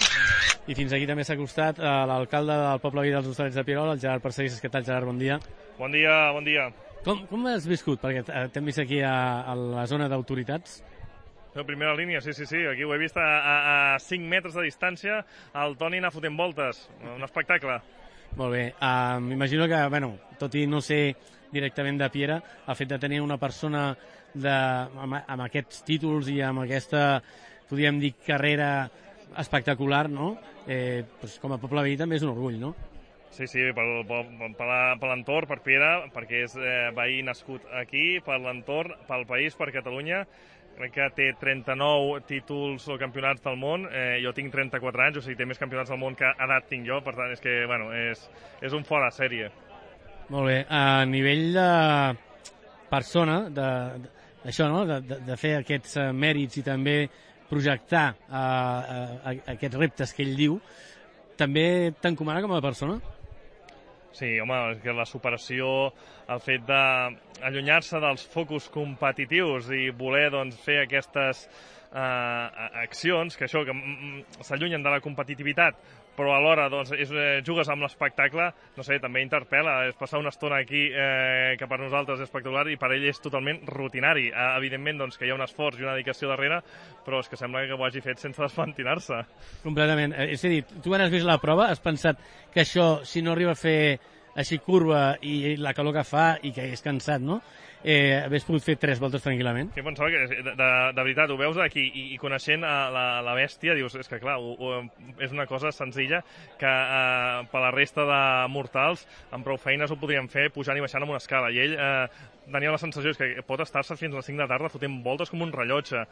I fins aquí també s'ha acostat eh, l'alcalde del Poble Veí dels Hostalets de Pierola, el Gerard Parcerisses. Què tal, Gerard? Bon dia. Bon dia, bon dia. Com, com has viscut? Perquè t'hem vist aquí a, a la zona d'autoritats. La primera línia, sí, sí, sí. Aquí ho he vist a, a, a cinc metres de distància, el Toni anar fotent voltes. Un espectacle. Molt bé. Uh, M'imagino que, bueno, tot i no ser directament de Piera, el fet de tenir una persona de, amb, amb aquests títols i amb aquesta, podríem dir, carrera espectacular, no? Eh, doncs com a poble veí també és un orgull, no? Sí, sí, per, per, per, per l'entorn, per Piera, perquè és eh, veí nascut aquí, per l'entorn, pel país, per Catalunya. Crec que té trenta-nou títols o campionats del món, eh, jo tinc trenta-quatre anys, o sigui, té més campionats del món que edat tinc jo, per tant, és que, bueno, és, és un fora de sèrie. Molt bé, a nivell de persona, de, de, això, no?, de, de, de fer aquests uh, mèrits i també projectar uh, uh, aquests reptes que ell diu, també t'encomana com a persona? Sí, home, és que la superació, el fet d'allunyar-se dels focus competitius i voler doncs, fer aquestes eh, accions, que això, que s'allunyen de la competitivitat, però alhora doncs, és, eh, jugues amb l'espectacle, no sé, també interpel·la, és passar una estona aquí eh, que per nosaltres és espectacular i per ell és totalment rutinari. Eh, evidentment doncs, que hi ha un esforç i una dedicació darrere, però és que sembla que ho hagi fet sense despentinar-se. Completament. És a dir, tu quan has vist la prova has pensat que això, si no arriba a fer així curva i la calor que fa i que és cansat, no?, eh, hagués pogut fer tres voltes tranquil·lament. Sí, pensava que, de, de, de veritat, ho veus aquí i, i coneixent a la, la bèstia, dius, és que clar, ho, ho, és una cosa senzilla que eh, per la resta de mortals amb prou feines ho podrien fer pujant i baixant amb una escala, i ell eh, tenia la sensació que pot estar-se fins a les cinc de la tarda fotent voltes com un rellotge.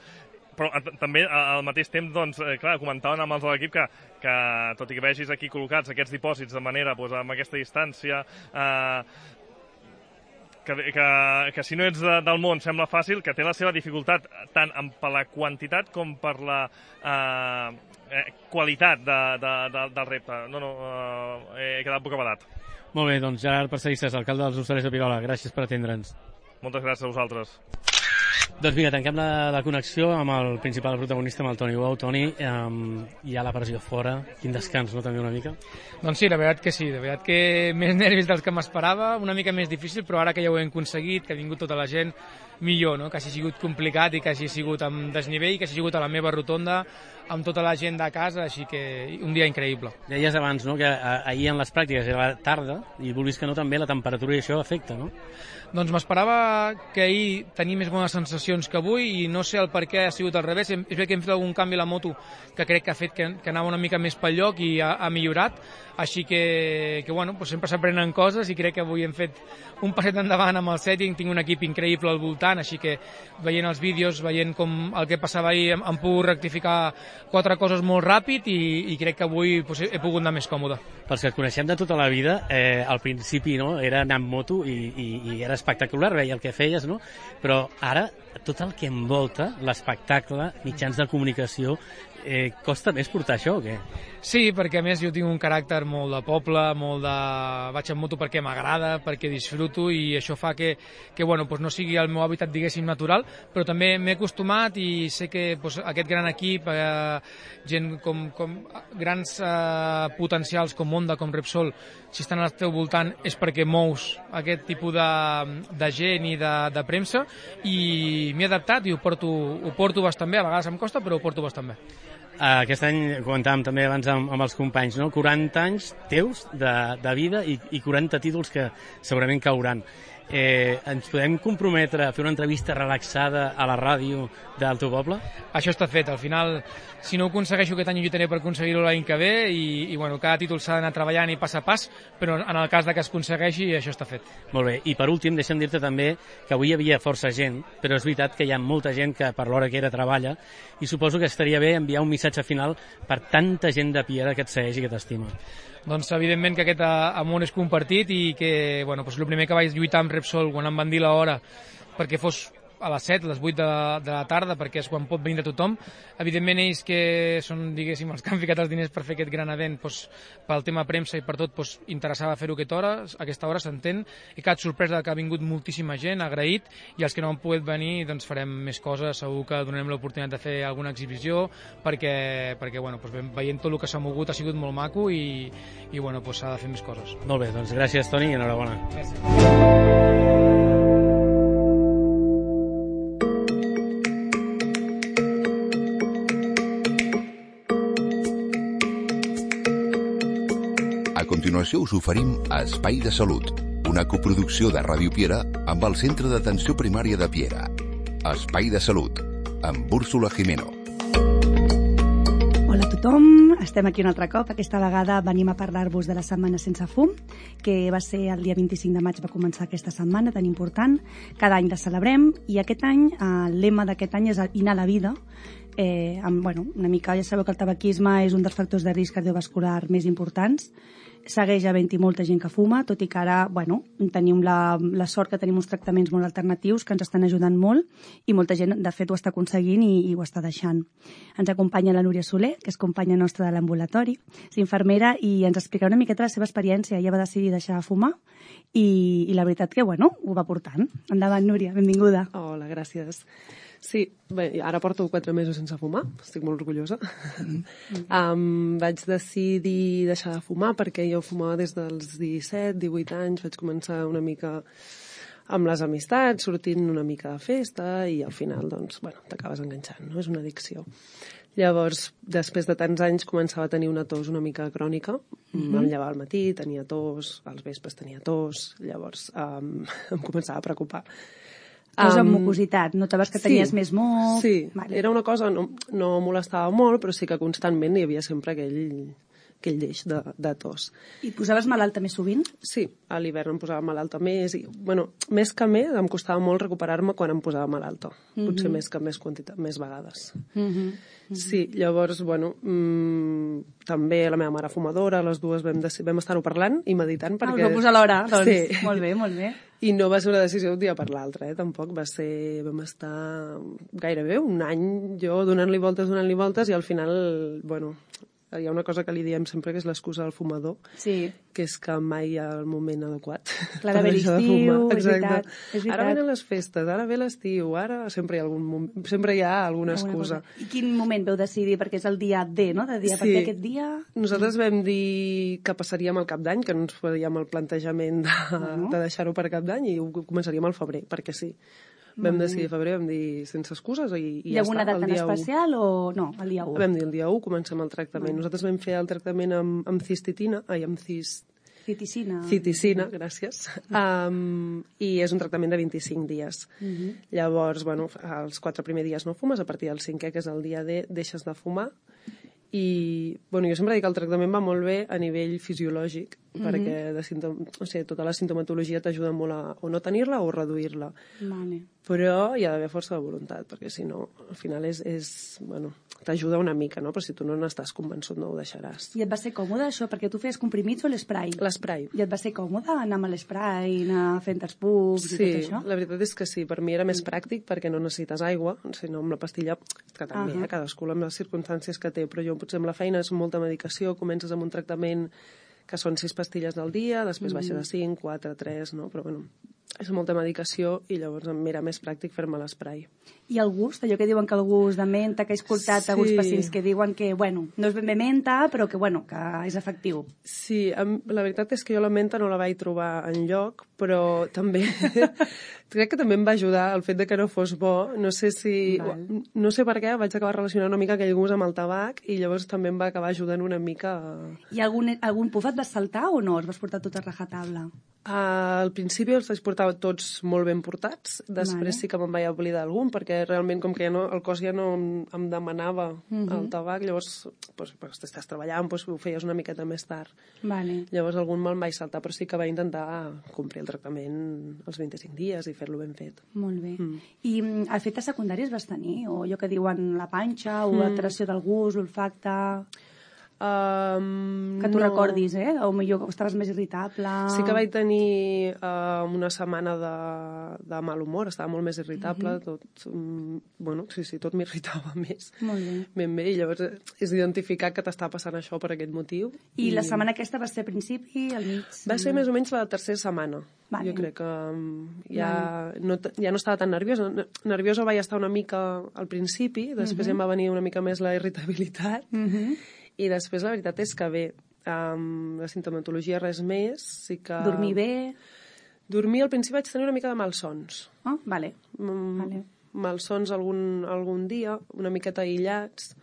Però també al mateix temps, doncs, eh, clar, comentaven amb els de l'equip que, que, tot i que vegis aquí col·locats aquests dipòsits de manera, doncs, amb aquesta distància, eh, que, que, que si no ets de, del món sembla fàcil, que té la seva dificultat tant per la quantitat com per la eh, eh, qualitat de, de, de, del repte. No, no, eh, he quedat bocabadat. Molt bé, doncs Gerard Parcerisses, alcalde dels Hostalets de Pierola, gràcies per atendre'ns. Moltes gràcies a vosaltres. Doncs mira, tanquem la, la connexió amb el principal protagonista, amb el Toni Bou. Toni, um, hi ha la pressió fora, quin descans, no, també una mica? Doncs sí, la veritat que sí, la veritat que més nervis dels que m'esperava, una mica més difícil, però ara que ja ho hem aconseguit, que ha vingut tota la gent, millor, no?, que hagi sigut complicat i que hagi sigut amb desnivell, que hagi sigut a la meva rotonda, amb tota la gent de casa, així que un dia increïble. Deies abans, no?, que ahir en les pràctiques era tarda i vulguis que no també la temperatura i això afecta, no? Doncs m'esperava que ahir tenia més bones sensacions que avui i no sé el per què ha sigut al revés. És bé que hem fet algun canvi a la moto que crec que ha fet que, que anava una mica més pel lloc i ha, ha millorat, així que, que bueno, doncs sempre s'aprenen coses i crec que avui hem fet un passet endavant amb el setting, tinc un equip increïble al voltant, així que veient els vídeos, veient com el que passava ahir, em, em puc rectificar quatre coses molt ràpid i, i crec que avui doncs, he pogut anar més còmode. Pels que et coneixem de tota la vida, eh, al principi, no?, era anar amb moto i, i, i era espectacular, veia el que feies, no?, però ara tot el que envolta l'espectacle, mitjans de comunicació, eh, costa més portar això o què? Sí, perquè a més jo tinc un caràcter molt de poble, molt de... vaig en moto perquè m'agrada, perquè disfruto i això fa que, que bueno, doncs no sigui el meu hàbitat, diguéssim, natural, però també m'he acostumat i sé que doncs, aquest gran equip, eh, gent com, com grans eh, potencials com Honda, com Repsol, si estan al teu voltant és perquè mous aquest tipus de, de gent i de, de premsa i m'he adaptat i ho porto, ho porto bastant bé, a vegades em costa però ho porto bastant bé. Aquest any, comentàvem també abans amb, amb els companys, no? quaranta anys teus de, de vida i, i quaranta títols que segurament cauran. Eh, ens podem comprometre a fer una entrevista relaxada a la ràdio del teu poble? Això està fet. Al final, si no ho aconsegueixo aquest any, ho lluitaré per aconseguir-ho l'any que ve i, i bueno, cada títol s'ha d'anar treballant i pas a pas, però en el cas de que es aconsegueixi, això està fet. Molt bé. I per últim, deixa'm dir-te també que avui hi havia força gent, però és veritat que hi ha molta gent que per l'hora que era treballa i suposo que estaria bé enviar un missatge final per tanta gent de Piera que et segueix i que t'estima. Doncs evidentment que aquest amor és compartit i que, bueno, doncs el primer que vaig lluitar amb Repsol quan em van dir l'hora perquè fos a les set, a les vuit de, de la tarda, perquè és quan pot vindre tothom. Evidentment, ells que són, diguéssim, els que han ficat els diners per fer aquest gran event, doncs, pel tema premsa i per tot, doncs, interessava fer-ho a aquesta hora, a aquesta hora s'entén, i cap sorpresa que ha vingut moltíssima gent, agraït, i els que no han pogut venir, doncs farem més coses, segur que donarem l'oportunitat de fer alguna exhibició, perquè, perquè bueno, doncs, veient tot el que s'ha mogut ha sigut molt maco i, i bueno, doncs, s'ha de fer més coses. Molt bé, doncs gràcies, Toni, i enhorabona. Gràcies. A continuació us oferim Espai de Salut, una coproducció de Ràdio Piera amb el Centre d'Atenció Primària de Piera. Espai de Salut, amb Úrsula Jimeno. Hola a tothom, estem aquí un altre cop. Aquesta vegada venim a parlar-vos de la Setmana Sense Fum, que va ser el dia vint-i-cinc de maig, va començar aquesta setmana tan important. Cada any la celebrem i aquest any, el lema d'aquest any és Inhalar la vida. Eh, amb, bueno, una mica, ja sabeu que el tabaquisme és un dels factors de risc cardiovascular més importants. Segueix havent-hi molta gent que fuma, tot i que ara, bueno, tenim la, la sort que tenim uns tractaments molt alternatius que ens estan ajudant molt i molta gent, de fet, ho està aconseguint i, i ho està deixant. Ens acompanya la Núria Soler, que és companya nostra de l'ambulatori, és infermera i ens explicarà una miqueta la seva experiència. Ella va decidir deixar de fumar i, i la veritat que, bueno, ho va portant. Endavant, Núria, benvinguda. Hola, gràcies. Sí, bé, ara porto quatre mesos sense fumar, estic molt orgullosa. Mm. um, vaig decidir deixar de fumar perquè jo fumava des dels disset, divuit anys, vaig començar una mica amb les amistats, sortint una mica de festa i al final, doncs, bueno, t'acabes enganxant, no? És una addicció. Llavors, després de tants anys, començava a tenir una tos una mica crònica. Mm-hmm. Em llevava al matí, tenia tos, als vespres tenia tos, llavors um, em començava a preocupar. Tos amb mucositat, notaves que tenies sí, més moc... Sí, vale. Era una cosa, no, no molestava molt, però sí que constantment hi havia sempre aquell, aquell deix de, de tos. I et posaves malalta més sovint? Sí, a l'hivern em posava malalta més. I, bueno, més que més, em costava molt recuperar-me quan em posava malalta. Mm-hmm. Potser més que més, quantitat, més vegades. Mm-hmm. Mm-hmm. Sí, llavors, bueno, mmm, també la meva mare fumadora, les dues vam, vam estar-ho parlant i meditant perquè... Ah, us va posar l'hora, doncs. Sí. Molt bé, molt bé. I no va ser una decisió d'un dia per l'altre, eh? Tampoc va ser... Vam estar gairebé un any jo donant-li voltes, donant-li voltes, i al final, bueno, hi ha una cosa que li diem sempre que és l'excusa del fumador, sí. Que és que mai hi ha el moment adequat. Clar, per deixar de fumar. És veritat, és veritat. Ara venen les festes, ara ve l'estiu, ara sempre hi ha, algun moment, sempre hi ha alguna excusa. Cosa. I quin moment veu decidir? Perquè és el dia D, no? De dia, sí. Perquè aquest dia... Nosaltres vam dir que passaríem el cap d'any, que no ens faríem el plantejament de, bueno. de deixar-ho per cap d'any, i ho començaríem al febrer, perquè sí. Vam decidir febrer, vam dir sense excuses i, i ja està. Hi ha alguna data en especial o no? El dia u? Vam dir el dia u, comencem el tractament. Mm. Nosaltres vam fer el tractament amb, amb cistitina, ai, amb cis... Citicina. Citicina, gràcies. Um, I és un tractament de vint-i-cinc dies. Mm-hmm. Llavors, bueno, els quatre primers dies no fumes, a partir del cinquè, que és el dia D, deixes de fumar. I, bueno, jo sempre dic que el tractament va molt bé a nivell fisiològic, mm-hmm. perquè de sintom... o sigui, tota la sintomatologia t'ajuda molt a o no tenir-la o reduir-la. Vale. Però hi ha d'haver força de voluntat, perquè si no, al final és, és bueno, t'ajuda una mica, no? Però si tu no n'estàs convençut no ho deixaràs. I et va ser còmode això? Perquè tu feies comprimits o l'esprai? L'esprai. I et va ser còmode anar amb l'esprai, anar fent els pucs sí, i tot això? Sí, la veritat és que sí. Per mi era més pràctic perquè no necessites aigua, sinó amb la pastilla, que també, uh -huh. eh, cadascú amb les circumstàncies que té, però jo potser amb la feina és molta medicació, comences amb un tractament que són sis pastilles al dia, després mm. baixa de cinc, quatre, tres, no? Però bueno, és molta medicació i llavors em era més pràctic fer-me l'esprai. I el gust? Allò que diuen que el gust de menta, que he escoltat sí. alguns pacients que diuen que, bueno, no és ben bé menta, però que, bueno, que és efectiu. Sí, la veritat és que jo la menta no la vaig trobar enlloc, però també... crec que també em va ajudar el fet de que no fos bo. No sé si... Val. No sé per què, vaig acabar relacionant una mica aquell gust amb el tabac i llavors també em va acabar ajudant una mica... A... I algun, algun puf et vas saltar o no? Els vas portar tot a rajatabla? Uh, al principi els vaig portar tots molt ben portats, després vale. Sí que me'n vaig oblidar algun, perquè realment com que ja no, el cos ja no em, em demanava uh-huh. el tabac, llavors pues, pues, estàs treballant, pues, ho feies una miqueta més tard. Vale. Llavors algun me'l vaig saltar, però sí que vaig intentar complir el tractament els vint-i-cinc dies i fer-lo ben fet. Molt bé. Mm. I efectes secundaris vas tenir? O allò que diuen la panxa, o mm. alteració del gust, l'olfacte... Um, que tu no. recordis, eh? O millor estaves més irritable... Sí que vaig tenir uh, una setmana de, de mal humor, estava molt més irritable, uh -huh. tot, um, bueno, sí, sí, tot m'irritava més. Molt bé. Ben bé, i llavors és identificar que t'està passant això per aquest motiu. I, I la setmana aquesta va ser a principi, al mig? Va ser més o menys la tercera setmana. Vale. Jo crec que um, ja, vale. no, ja no estava tan nerviosa. Nerviosa vaig estar una mica al principi, després uh -huh. em va venir una mica més la irritabilitat, uh -huh. i després la veritat és que bé, um, la sintomatologia res més, sí que... Dormir bé? Dormir al principi vaig tenir una mica de malsons. Oh, vale. Mm, vale. Malsons algun, algun dia, una miqueta aïllats,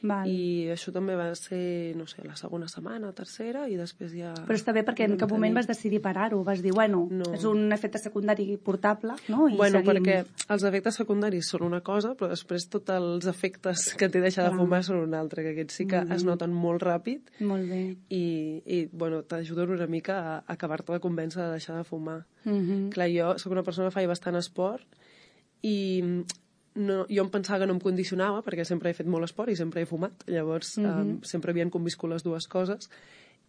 Val. I això també va ser, no sé, la segona setmana, tercera, i després ja... Però està bé perquè en cap moment vas decidir parar-ho, vas dir, bueno, no. és un efecte secundari portable, no? I bueno, seguim... perquè els efectes secundaris són una cosa, però després tots els efectes que té deixar de fumar són una altra, que aquests sí que mm -hmm. es noten molt ràpid. Molt bé. I, i bueno, t'ajuden una mica a, a acabar-te de convèncer de deixar de fumar. Mm -hmm. Clar, jo sóc una persona que faig bastant esport, i... No, jo em pensava que no em condicionava perquè sempre he fet molt esport i sempre he fumat, llavors mm -hmm. um, sempre havien conviscut les dues coses,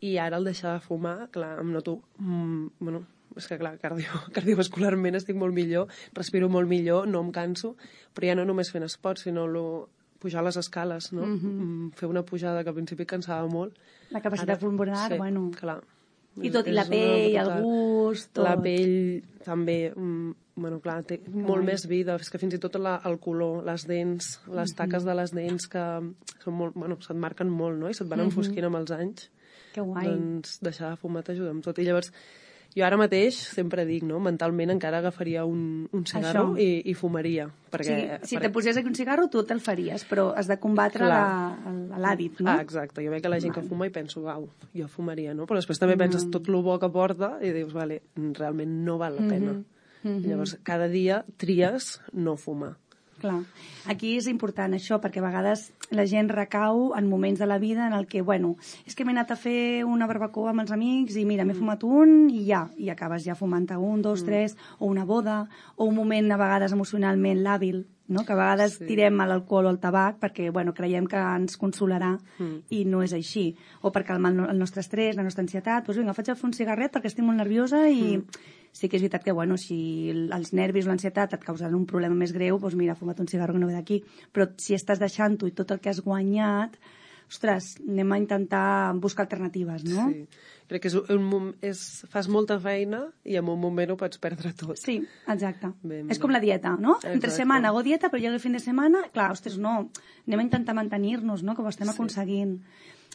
i ara al deixar de fumar, clar, em noto mm, bueno, és que clar, cardio, cardiovascularment estic molt millor, respiro molt millor, no em canso, però ja no només fent esport, sinó lo, pujar les escales, no? Mm -hmm. Fer una pujada que al principi cansava molt. La capacitat pulmonar, sí, bueno... clar. I tot, i la pell, el gust... Tot. La pell també, mm, bueno, clar, té molt Ai. més vida. És que fins i tot la, el color, les dents, les uh -huh. taques de les dents, que són molt, bueno, se't marquen molt, no? I se't van uh -huh. enfosquint amb els anys. Que guai. Doncs deixar de fumar t'ajuda amb tot. I llavors, jo ara mateix sempre dic, no? Mentalment encara agafaria un, un cigarro i, i fumaria. Perquè, sí, si perquè... te posés aquí un cigarro, tu te'l faries, però has de combatre l'hàbit, no? Ah, exacte. Jo veig que la gent que fuma i penso, uau, jo fumaria, no? Però després també penses tot el bo que porta i dius, vale, realment no val la pena. Mm -hmm. Llavors, cada dia tries no fumar. Clar. Aquí és important això, perquè a vegades la gent recau en moments de la vida en el que, bueno, és que m'he anat a fer una barbacoa amb els amics i mira, m'he fumat un i ja, i acabes ja fumant-te un, dos, mm. tres, o una boda, o un moment a vegades emocionalment làbil, no? Que a vegades sí. tirem a l'alcohol o al tabac perquè, bueno, creiem que ens consolarà mm. i no és així. O per calmar el nostre estrès, la nostra ansietat, doncs vinga, faig a fer un cigarret perquè estic molt nerviosa i... Mm. Sí que és veritat que, bueno, si els nervis o l'ansietat et causaran un problema més greu, doncs mira, fuma't un cigarro que no ve d'aquí. Però si estàs deixant-ho i tot el que has guanyat, ostres, anem a intentar buscar alternatives, no? Sí, crec que és un, és, fas molta feina i en un moment ho pots perdre tot. Sí, exacte. Ben, és com la dieta, no? Exacte. Entre setmana hago dieta, però llega el fin de setmana, clar, ostres, no, anem a intentar mantenir-nos, no?, que ho estem sí. aconseguint.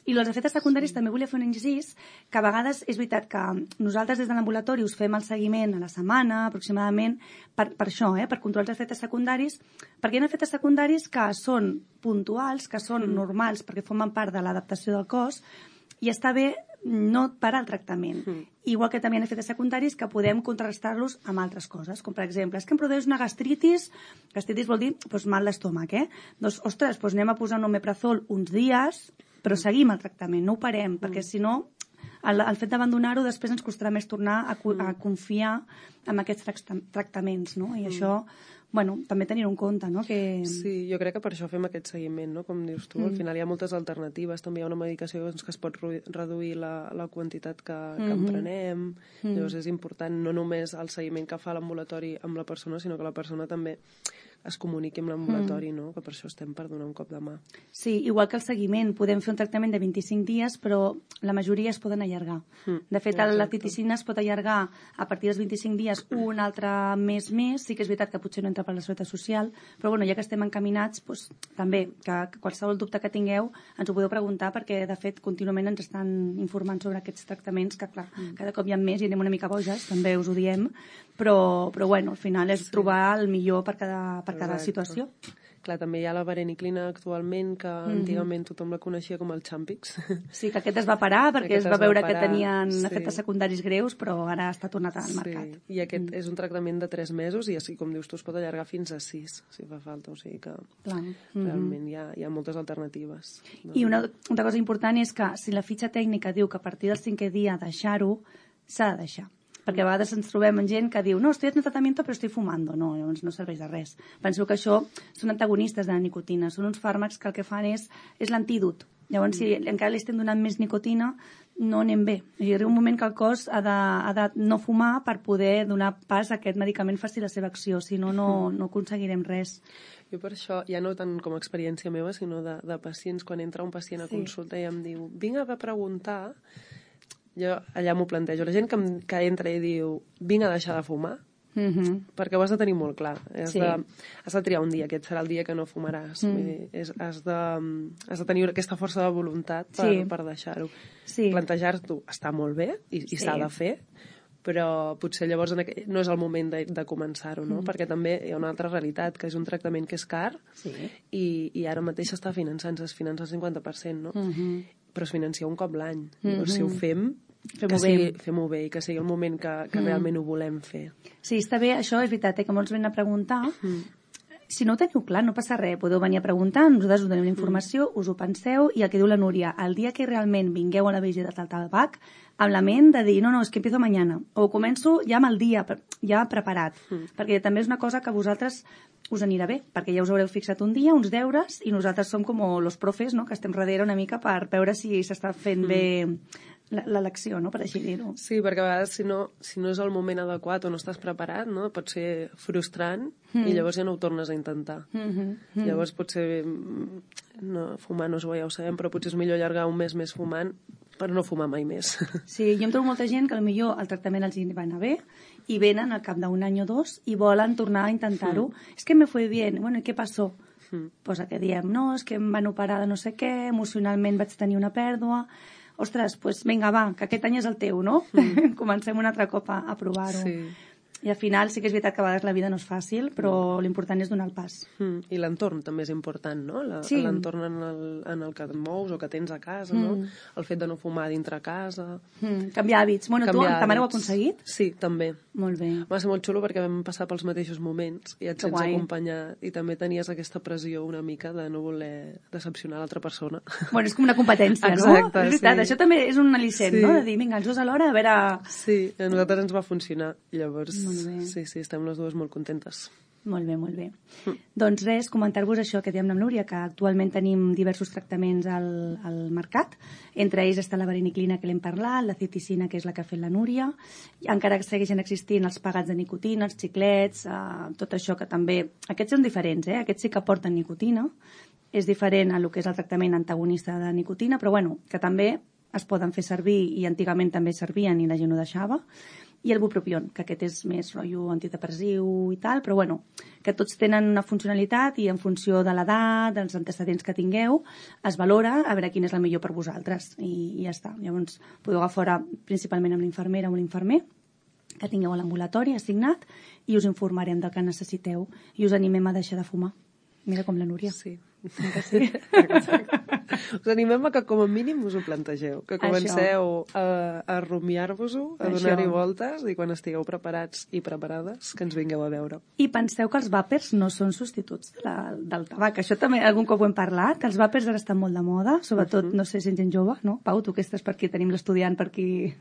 I els efectes secundaris també volia fer un incís, que a vegades és veritat que nosaltres des de l'ambulatori us fem el seguiment a la setmana, aproximadament, per, per això, eh, per controlar els efectes secundaris, perquè hi ha efectes secundaris que són puntuals, que són mm. normals, perquè formen part de l'adaptació del cos, i està bé no parar el tractament. Mm. Igual que també hi ha efectes secundaris que podem contrarrestar-los amb altres coses, com per exemple, és que em produeix una gastritis, gastritis vol dir doncs, mal d'estómac, eh? Doncs, ostres, doncs anem a posar un omeprazol uns dies, però seguim el tractament, no ho parem, mm. perquè si no, el, el fet d'abandonar-ho després ens costarà més tornar a, mm. a confiar en aquests tractaments, no? I mm. això, bueno, també tenir-ho en compte, no? Que... Sí, jo crec que per això fem aquest seguiment, no? Com dius tu, mm. al final hi ha moltes alternatives, també hi ha una medicació doncs, que es pot reduir la, la quantitat que, que mm-hmm. emprenem, mm. llavors és important no només el seguiment que fa l'ambulatori amb la persona, sinó que la persona també es comuniqui amb l'ambulatori, mm. no? Que per això estem per donar un cop de mà. Sí, igual que el seguiment. Podem fer un tractament de vint-i-cinc dies, però la majoria es poden allargar. Mm. De fet, exacte. La titicina es pot allargar a partir dels vint-i-cinc dies un altre mes més. Sí que és veritat que potser no entra per la seguretat social, però bueno, ja que estem encaminats, doncs, també, que, que qualsevol dubte que tingueu ens ho podeu preguntar, perquè de fet contínuament ens estan informant sobre aquests tractaments, que clar, mm. cada cop hi ha més i anem una mica boges, també us ho diem, però, però bueno, al final és sí. trobar el millor per cada per cada situació. Clar, també hi ha la vareniclina actualment, que mm-hmm. antigament tothom la coneixia com el Champix. Sí, que aquest es va parar perquè aquest es va es veure va que tenien sí. efectes secundaris greus, però ara està tornat al mercat. Sí. I aquest mm. és un tractament de tres mesos i així, com dius tu, es pot allargar fins a sis, si fa falta. O sigui que Clar. realment mm-hmm. hi, ha, hi ha moltes alternatives. No? I una, una cosa important és que si la fitxa tècnica diu que a partir del cinquè dia deixar-ho, s'ha de deixar. Perquè a vegades ens trobem amb gent que diu no, estoy en tratament però estoy fumando. No, llavors no serveix de res. Penso que això són antagonistes de la nicotina, són uns fàrmacs que el que fan és, és l'antídot Llavors, si encara li estem donant més nicotina, no anem bé. I arriba un moment que el cos ha de, ha de no fumar per poder donar pas a aquest medicament faci la seva acció, si no, no, no aconseguirem res. Jo per això, ja no tant com a experiència meva, sinó de, de pacients, quan entra un pacient a Sí. consulta i em diu, vinc a preguntar, jo allà m'ho plantejo. La gent que, em, que entra i diu, vinc a deixar de fumar, Mm-hmm. perquè ho has de tenir molt clar. Has, Sí. de, has de triar un dia, aquest serà el dia que no fumaràs. Mm. Vull dir, és, has, de, has de tenir aquesta força de voluntat per, Sí. per deixar-ho. Sí. Plantejar-t'ho està molt bé i, i Sí. s'ha de fer, però potser llavors en aqu... no és el moment de, de començar-ho, no? Mm. Perquè també hi ha una altra realitat, que és un tractament que és car Sí. i, i ara mateix s'està finançant, es finança el cinquanta per cent, no? Mm-hmm. Però es financia un cop l'any. Mhm. Llavors, si ho fem, Fem-ho que sigui, bé. fem-ho bé i que sigui el moment que, que Mm. realment ho volem fer. Sí, està bé, això és veritat, eh, que molts venen a preguntar. Mm. Si no ho teniu clar, no passa res. Podeu venir a preguntar, nosaltres us donem la informació, us ho penseu, i el que diu la Núria, el dia que realment vingueu a la visita del tabac, amb la ment de dir, no, no, és que empiezo mañana, o començo ja amb el dia, ja preparat, Mm. perquè també és una cosa que a vosaltres us anirà bé, perquè ja us haureu fixat un dia, uns deures, i nosaltres som com los profes, no?, que estem darrere una mica per veure si s'està fent Mm. bé l'elecció, no?, per així dir-ho. Sí, perquè a vegades si no, si no és el moment adequat o no estàs preparat, no? Pot ser frustrant Mm. i llavors ja no ho tornes a intentar. Mm-hmm. Mm. Llavors potser mm, no, fumar no és bo, ja ho sabem, però potser és millor allargar un mes més fumant per no fumar mai més. Sí, jo em trobo molta gent que potser el tractament els hi va anar bé i venen al cap d'un any o dos i volen tornar a intentar-ho. Mm. És que me fue bien. Bueno, i què passó? Mm. Pues que diem, no, és que em van operar de no sé què, emocionalment vaig tenir una pèrdua. Ostres, pues vinga, va, que aquest any és el teu, no? Mm. Comencem un altre cop a, a provar-ho. Sí. I al final sí que és veritat que a vegades la vida no és fàcil, però Mm. l'important és donar el pas. Mm. I l'entorn també és important, no? La, Sí. L'entorn en el, en el que et mous o que tens a casa, no? Mm. El fet de no fumar dintre casa. Mm. Canviar hàbits. Bueno, tu, Canviar ta mare ho ha hàbits. aconseguit? Sí, també. Molt bé. Va ser molt xulo perquè vam passar pels mateixos moments i et Que sents guai. acompanyar i també tenies aquesta pressió una mica de no voler decepcionar l'altra persona. Bueno, és com una competència, no? Exacte, És veritat, sí. això també és un al·licent, Sí. no? De dir, vinga, els dos alhora, a veure... Sí, a nosaltres ens va funcionar. Llavors, Molt bé. sí, sí, estem les dues molt contentes. Molt bé, molt bé. Mm. Doncs res, comentar-vos això que diem amb Núria, que actualment tenim diversos tractaments al, al mercat. Entre ells està la vareniclina, que l'hem parlat, la citicina, que és la que ha fet la Núria. I encara que segueixen existint els pegats de nicotina, els xiclets, eh, tot això que també... Aquests són diferents, eh? Aquests sí que porten nicotina. És diferent a lo que és el tractament antagonista de nicotina, però bueno, que també es poden fer servir i antigament també servien i la gent ho deixava. I el bupropion, que aquest és més rotllo antidepressiu i tal, però bueno, que tots tenen una funcionalitat i en funció de l'edat, dels antecedents que tingueu, es valora a veure quin és el millor per vosaltres i, i ja està. Llavors podeu agafar principalment amb l'infermera o l'infermer que tingueu a l'ambulatori assignat i us informarem del que necessiteu i us animem a deixar de fumar. Mira com la Núria. Sí. Que sí? Us animem a que com a mínim us ho plantegeu, que comenceu a, a rumiar-vos-ho, a Això. donar-hi voltes i quan estigueu preparats i preparades que ens vingueu a veure. I penseu que els vàpers no són substituts de la, del tabac. Això també algun cop ho hem parlat. Els vàpers ara estan molt de moda, sobretot, uh -huh. no sé si gent jove, no? Pau, tu que estàs per aquí, tenim l'estudiant per aquí.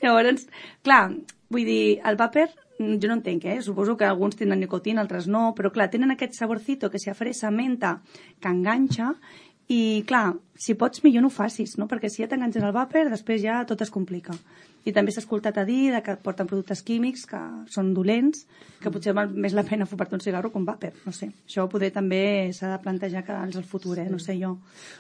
Llavors, clar, vull dir, el vàper, jo no entenc, eh? Suposo que alguns tenen nicotina, altres no, però clar, tenen aquest saborcito que s'hi fresa, menta, que enganxa, i clar, si pots millor no ho facis, no? Perquè si ja t'enganxes al vàper, després ja tot es complica. I també s'ha escoltat a dir que porten productes químics que són dolents, que potser val més la pena fumar-te un cigarro que un vàper, no sé. Això poder també s'ha de plantejar que és el futur, eh? No sé jo.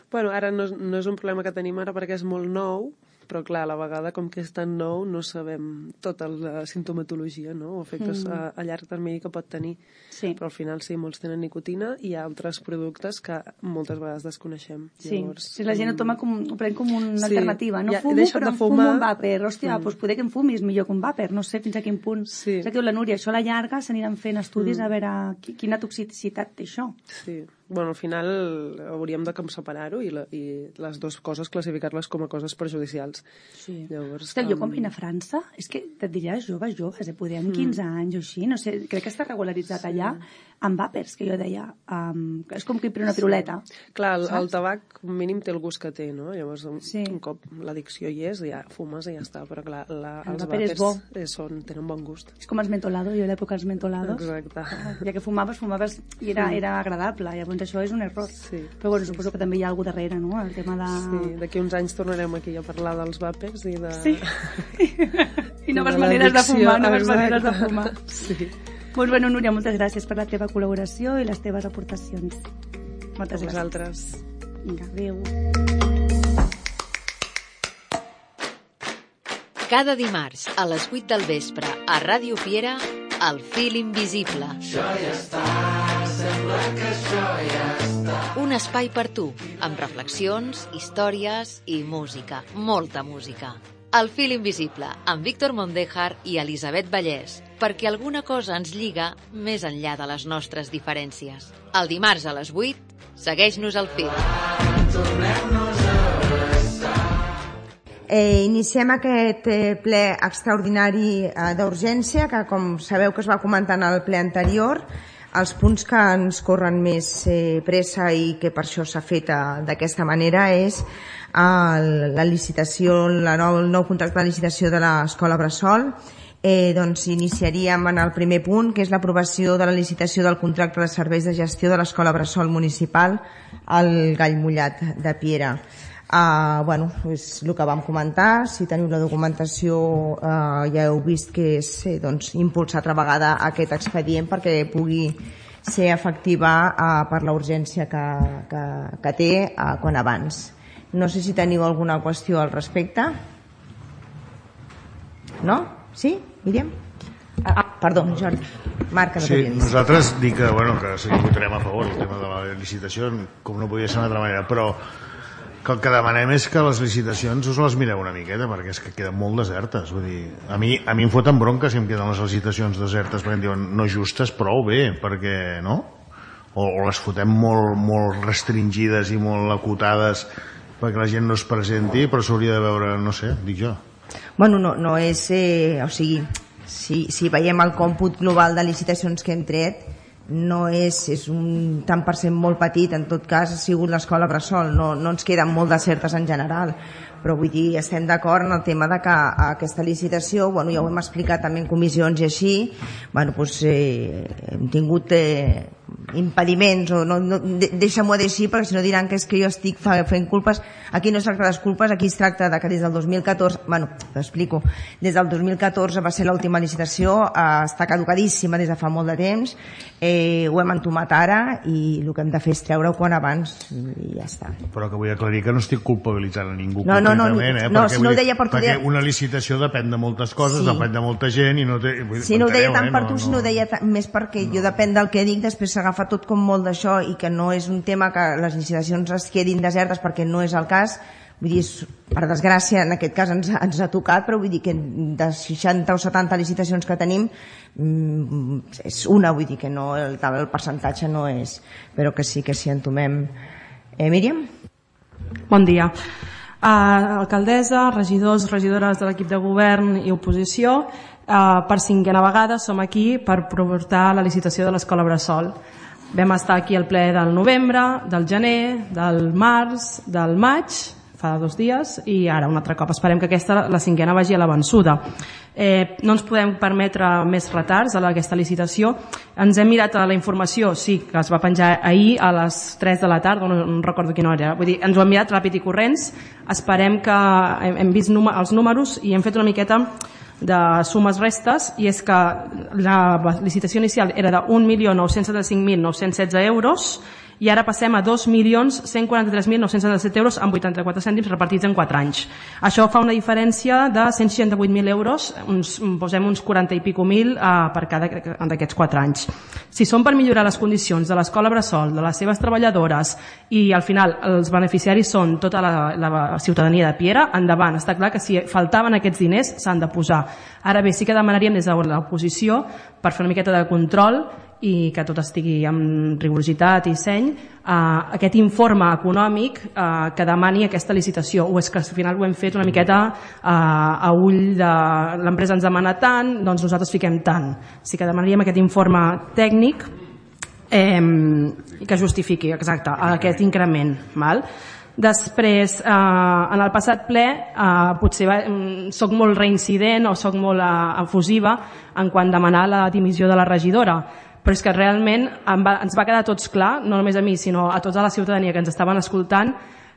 Bueno, ara no, no és un problema que tenim ara perquè és molt nou, però clar, a la vegada, com que és tan nou, no sabem tota la sintomatologia, no? O efectes Mm. a, a llarg termini que pot tenir. Sí. Però al final sí, molts tenen nicotina i hi ha altres productes que moltes vegades desconeixem. Sí, Llavors, si la gent ho toma com, ho pren com una Sí, alternativa. No ja he fumo, deixat però de em fumo fumar. un vàper. Hòstia, Mm. doncs poder que em fumis millor que un vàper. No sé fins a quin punt. Sí. És que diu la Núria, això a la llarga s'aniran fent estudis Mm. a veure qui- quina toxicitat té això. Sí. Bueno, al final hauríem de com separar-ho i, la, i les dues coses classificar-les com a coses perjudicials. Sí. Llavors, Ostres, jo com- quan vinc a França, és que et diria joves, joves, eh? Poder amb Mm. quinze anys o així, no sé, crec que està regularitzat Sí. allà, amb vàpers, que jo deia, um, és com que una piruleta. Clar, el, saps? el tabac mínim té el gust que té, no? Llavors, un, Sí. un cop l'addicció hi és, ja fumes i ja està, però clar, la, El els vàper és vàpers bo. eh, són, tenen bon gust. És com els mentolados, jo a l'època els mentolados. Exacte. Ja que fumaves, fumaves i era, Sí. era agradable, llavors això és un error. Sí. Però bueno, suposo que també hi ha alguna darrere, no? El tema de... Sí, d'aquí uns anys tornarem aquí a parlar dels vàpers i de... Sí. I noves de maneres de l'addicció, fumar, noves exacte. maneres de fumar. Sí. Doncs bueno, Núria, moltes gràcies per la teva col·laboració i les teves aportacions. Moltes A gràcies. vosaltres. Vinga, adéu. Cada dimarts a les vuit del vespre a Ràdio Piera, El fil invisible. Això ja està, sembla que això ja està. Un espai per tu, amb reflexions, històries i música, molta música. El fil invisible, amb Víctor Mondéjar i Elisabet Vallès, perquè alguna cosa ens lliga més enllà de les nostres diferències. El dimarts a les vuit, segueix-nos al fil. Tornem-nos a abraçar. Eh, iniciem aquest eh, ple extraordinari eh, d'urgència, que com sabeu que es va comentar en el ple anterior, els punts que ens corren més eh, pressa i que per això s'ha fet eh, d'aquesta manera és eh, la licitació, la nou, el nou contracte de licitació de l'escola Bressol. Eh, doncs iniciaríem en el primer punt, que és l'aprovació de la licitació del contracte de serveis de gestió de l'escola Bressol municipal al Gall Mullat de Piera. Uh, bueno, és el que vam comentar. Si teniu la documentació uh, ja heu vist que és eh, doncs, impulsar altra vegada aquest expedient perquè pugui ser efectiva uh, per la urgència que, que, que té uh, quan abans. No sé si teniu alguna qüestió al respecte. No? Sí? Míriam? Ah, perdó, Jordi. Marc, no Sí, t'havia vist. nosaltres dic que, bueno, que sí que votarem a favor el tema de la licitació, com no podia ser d'una altra manera, però que el que demanem és que les licitacions us les mireu una miqueta, perquè és que queden molt desertes. Vull dir, a mi, a mi em foten bronca si em queden les licitacions desertes, perquè em diuen no justes, prou bé, perquè, no? O, o les fotem molt, molt restringides i molt acotades perquè la gent no es presenti, però s'hauria de veure, no sé, dic jo. Bueno, no, no és... Eh, o sigui, si, si veiem el còmput global de licitacions que hem tret, no és, és un tant per cent molt petit, en tot cas ha sigut l'escola Bressol, no, no ens queden molt desertes en general, però vull dir, estem d'acord en el tema de que aquesta licitació, bueno, ja ho hem explicat també en comissions i així, bueno, doncs, eh, hem tingut eh, impediments, o no, no, deixa-m'ho dir així, perquè si no diran que és que jo estic fent culpes. Aquí no es tracta de les culpes, aquí es tracta de que des del dos mil catorze, bueno, t'explico, des del dos mil catorze va ser l'última licitació, eh, està caducadíssima des de fa molt de temps, eh, ho hem entomat ara i el que hem de fer és treure-ho quan abans i ja està. Però que vull aclarir que no estic culpabilitzant a ningú no, no, no, concretament, eh? no, perquè, si no ho deia per tu perquè deia... una licitació depèn de moltes coses, Sí. depèn de molta gent i no té... Si no ho deia tant eh? per no, tu, si no ho deia més perquè jo depèn del que dic, després s'agafa tot com molt d'això i que no és un tema que les licitacions es quedin desertes perquè no és el cas. Vull dir, és, per desgràcia, en aquest cas ens, ens ha tocat, però vull dir que de seixanta o setanta licitacions que tenim mmm, és una, vull dir que no, el, el percentatge no és, però que sí que s'hi entomem. Eh, Míriam? Bon dia. Uh, alcaldessa, regidors, regidores de l'equip de govern i oposició, uh, per cinquena vegada som aquí per portar la licitació de l'escola Bressol. Vam estar aquí al ple del novembre, del gener, del març, del maig, fa dos dies, i ara un altre cop. Esperem que aquesta, la cinquena, vagi a la vençuda. Eh, no ens podem permetre més retards a aquesta licitació. Ens hem mirat a la informació, sí, que es va penjar ahir a les tres de la tarda, no, no recordo quina hora era. Vull dir, ens ho hem mirat ràpid i corrents. Esperem que hem, hem vist númer, els números i hem fet una miqueta de sumes restes, i és que la licitació inicial era de un milió nou-cents setanta-cinc mil nou-cents setze euros i ara passem a dos milions cent quaranta-tres mil nou-cents setanta-set euros amb vuitanta-quatre cèntims repartits en quatre anys. Això fa una diferència de cent seixanta-vuit mil euros, uns, posem uns quaranta i pico mil eh, per cada d'aquests quatre anys. Si són per millorar les condicions de l'escola Bressol, de les seves treballadores, i al final els beneficiaris són tota la, la ciutadania de Piera, endavant. Està clar que si faltaven aquests diners s'han de posar. Ara bé, sí que demanaríem des de l'oposició, per fer una miqueta de control i que tot estigui amb rigorositat i seny, eh, aquest informe econòmic eh, que demani aquesta licitació, o és que al final ho hem fet una miqueta eh, a ull de l'empresa ens demana tant, doncs nosaltres fiquem tant. Sí que demanaríem aquest informe tècnic eh, que justifiqui, exacte, aquest increment. Val? Després, eh, en el passat ple, eh, potser va, soc molt reincident o soc molt eh, efusiva en quan demanar la dimissió de la regidora, però és que realment em va, ens va quedar tots clar, no només a mi, sinó a tota la ciutadania que ens estaven escoltant,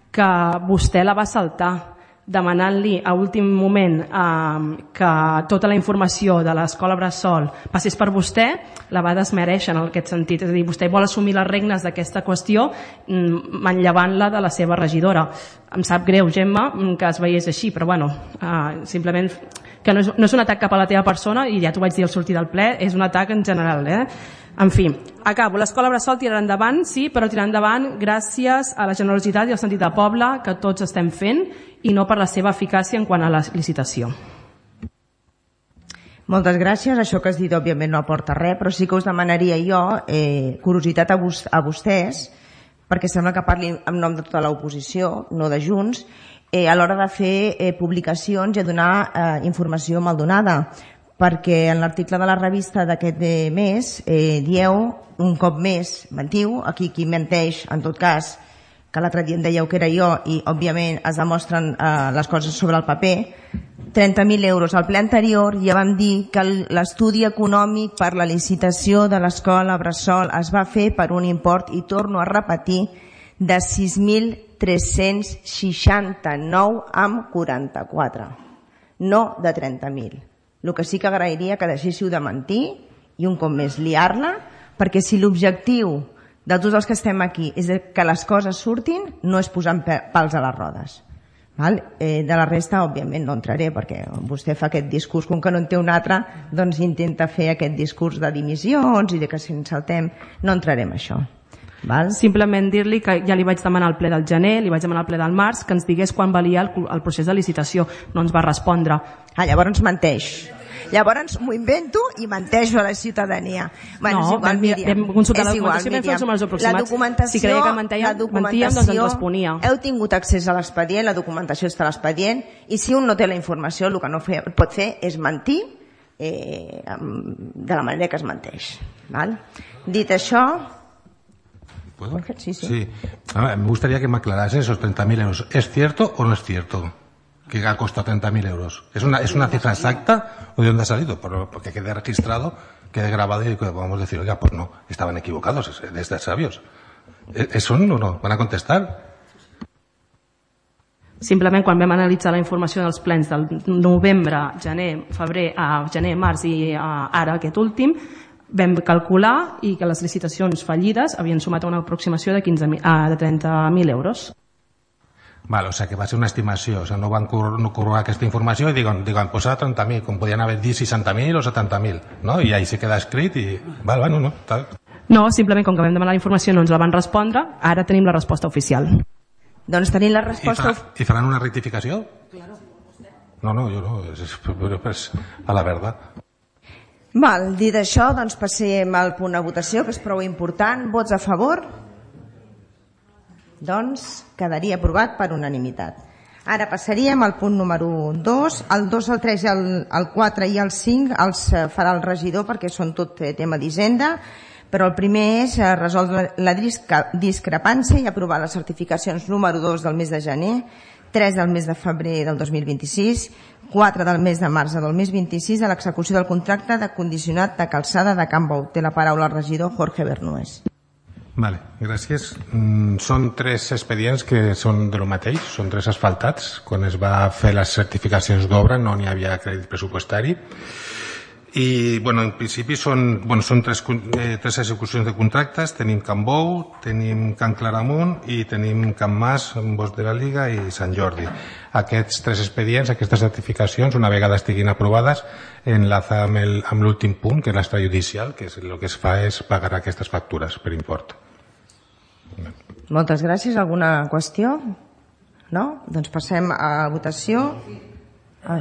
que vostè la va saltar, demanant-li a últim moment eh, que tota la informació de l'escola Bressol passés per vostè, la va desmereixer en aquest sentit. És a dir, vostè vol assumir les regnes d'aquesta qüestió manllevant-la de la seva regidora. Em sap greu, Gemma, que es veiés així, però bueno, eh, simplement que no és, no és un atac cap a la teva persona, i ja t'ho vaig dir al sortir del ple, és un atac en general. Eh? En fi, acabo. L'escola Bressol tirarà endavant, sí, però tirarà endavant gràcies a la generositat i al sentit de poble que tots estem fent, i no per la seva eficàcia en quant a la licitació. Moltes gràcies. Això que has dit òbviament no aporta res, però sí que us demanaria jo eh, curiositat a, vos, a vostès, perquè sembla que parli en nom de tota l'oposició, no de Junts, eh, a l'hora de fer eh, publicacions i a donar eh, informació maldonada, perquè en l'article de la revista d'aquest mes eh, dieu un cop més, mentiu, aquí qui menteix en tot cas, que l'altre dia em dèieu que era jo i òbviament es demostren eh, les coses sobre el paper, trenta mil euros. Al ple anterior ja vam dir que l'estudi econòmic per la licitació de l'escola Bressol es va fer per un import, i torno a repetir, de sis mil tres-cents seixanta-nou amb quaranta-quatre, no de trenta mil. El que sí que agrairia que deixéssiu de mentir i un cop més liar-la, perquè si l'objectiu de tots els que estem aquí és que les coses surtin, no és posant pals a les rodes. Val? Eh, de la resta, òbviament, no entraré, perquè vostè fa aquest discurs, com que no en té un altre, doncs intenta fer aquest discurs de dimissions i de que si ens saltem, no entrarem en això. Val? Simplement dir-li que ja li vaig demanar al ple del gener, li vaig demanar al ple del març, que ens digués quan valia el, el procés de licitació. No ens va respondre. Ah, llavors menteix. Llavors m'ho invento i menteixo a la ciutadania. Bueno, no, és igual, vam, Míriam. vam consultar és la igual, documentació i vam fer els números la aproximats. documentació, si creia que mentíem, la documentació, mentíem, doncs ens responia. Heu tingut accés a l'expedient, la documentació està a l'expedient, i si un no té la informació, el que no fe, pot fer és mentir eh, de la manera que es menteix. Val? Dit això... ¿Puedo? Sí, sí. Sí. A ver, me gustaría que me aclarase esos treinta mil euros. ¿Es cierto o no es cierto que ha costado treinta mil euros? ¿Es una, ¿Es una cifra exacta o de dónde ha salido? Por, porque quede registrado, quede grabado y que podamos decir, oiga, pues no, estaban equivocados, desde sabios. ¿Eso no, no? ¿Van a contestar? Simplement quan vam analitzar la informació dels plens del novembre, gener, febrer, a gener, març i a, ara aquest últim, vam calcular i que les licitacions fallides havien sumat una aproximació de, quinze mil, ah, de trenta mil euros. Vale, o sea que va ser una estimació, o sea, no van no corroborar aquesta informació i diuen, diuen pues a trenta mil, com podien haver dit seixanta mil o setanta mil, no? I ahí se queda escrit i... Vale, bueno, no, tal. No, simplement com que vam demanar la informació no ens la van respondre, ara tenim la resposta oficial. Doncs tenim la resposta... I, fa, i faran una rectificació? No, no, jo no, és, és, és a la verda. Val, dit això, doncs passem al punt de votació, que és prou important. Vots a favor? Doncs quedaria aprovat per unanimitat. Ara passaríem al punt número dos. El dos, el tres, el, el quatre i el cinc els farà el regidor perquè són tot tema d'Hisenda, però el primer és resoldre la discrepància i aprovar les certificacions número dos del mes de gener, tres del mes de febrer del dos mil vint-i-sis, quatre del mes de març del mes vint-i-sis a l'execució del contracte de condicionat de calçada de Can Bou. Té la paraula el regidor Jorge Bernués. Vale, gràcies. Mm, són tres expedients que són de lo mateix, són tres asfaltats. Quan es va fer les certificacions d'obra no n'hi havia crèdit pressupostari. I, bueno, en principi són, bueno, són tres, eh, tres execucions de contractes. Tenim Can Bou, tenim Can Claramunt i tenim Can Mas, Bosc de la Liga i Sant Jordi. Aquests tres expedients, aquestes certificacions, una vegada estiguin aprovades, enlaça amb, el, amb l'últim punt, que és l'extrajudicial, que és, el que es fa és pagar aquestes factures per import. Moltes gràcies. Alguna qüestió? No? Doncs passem a votació. Ah.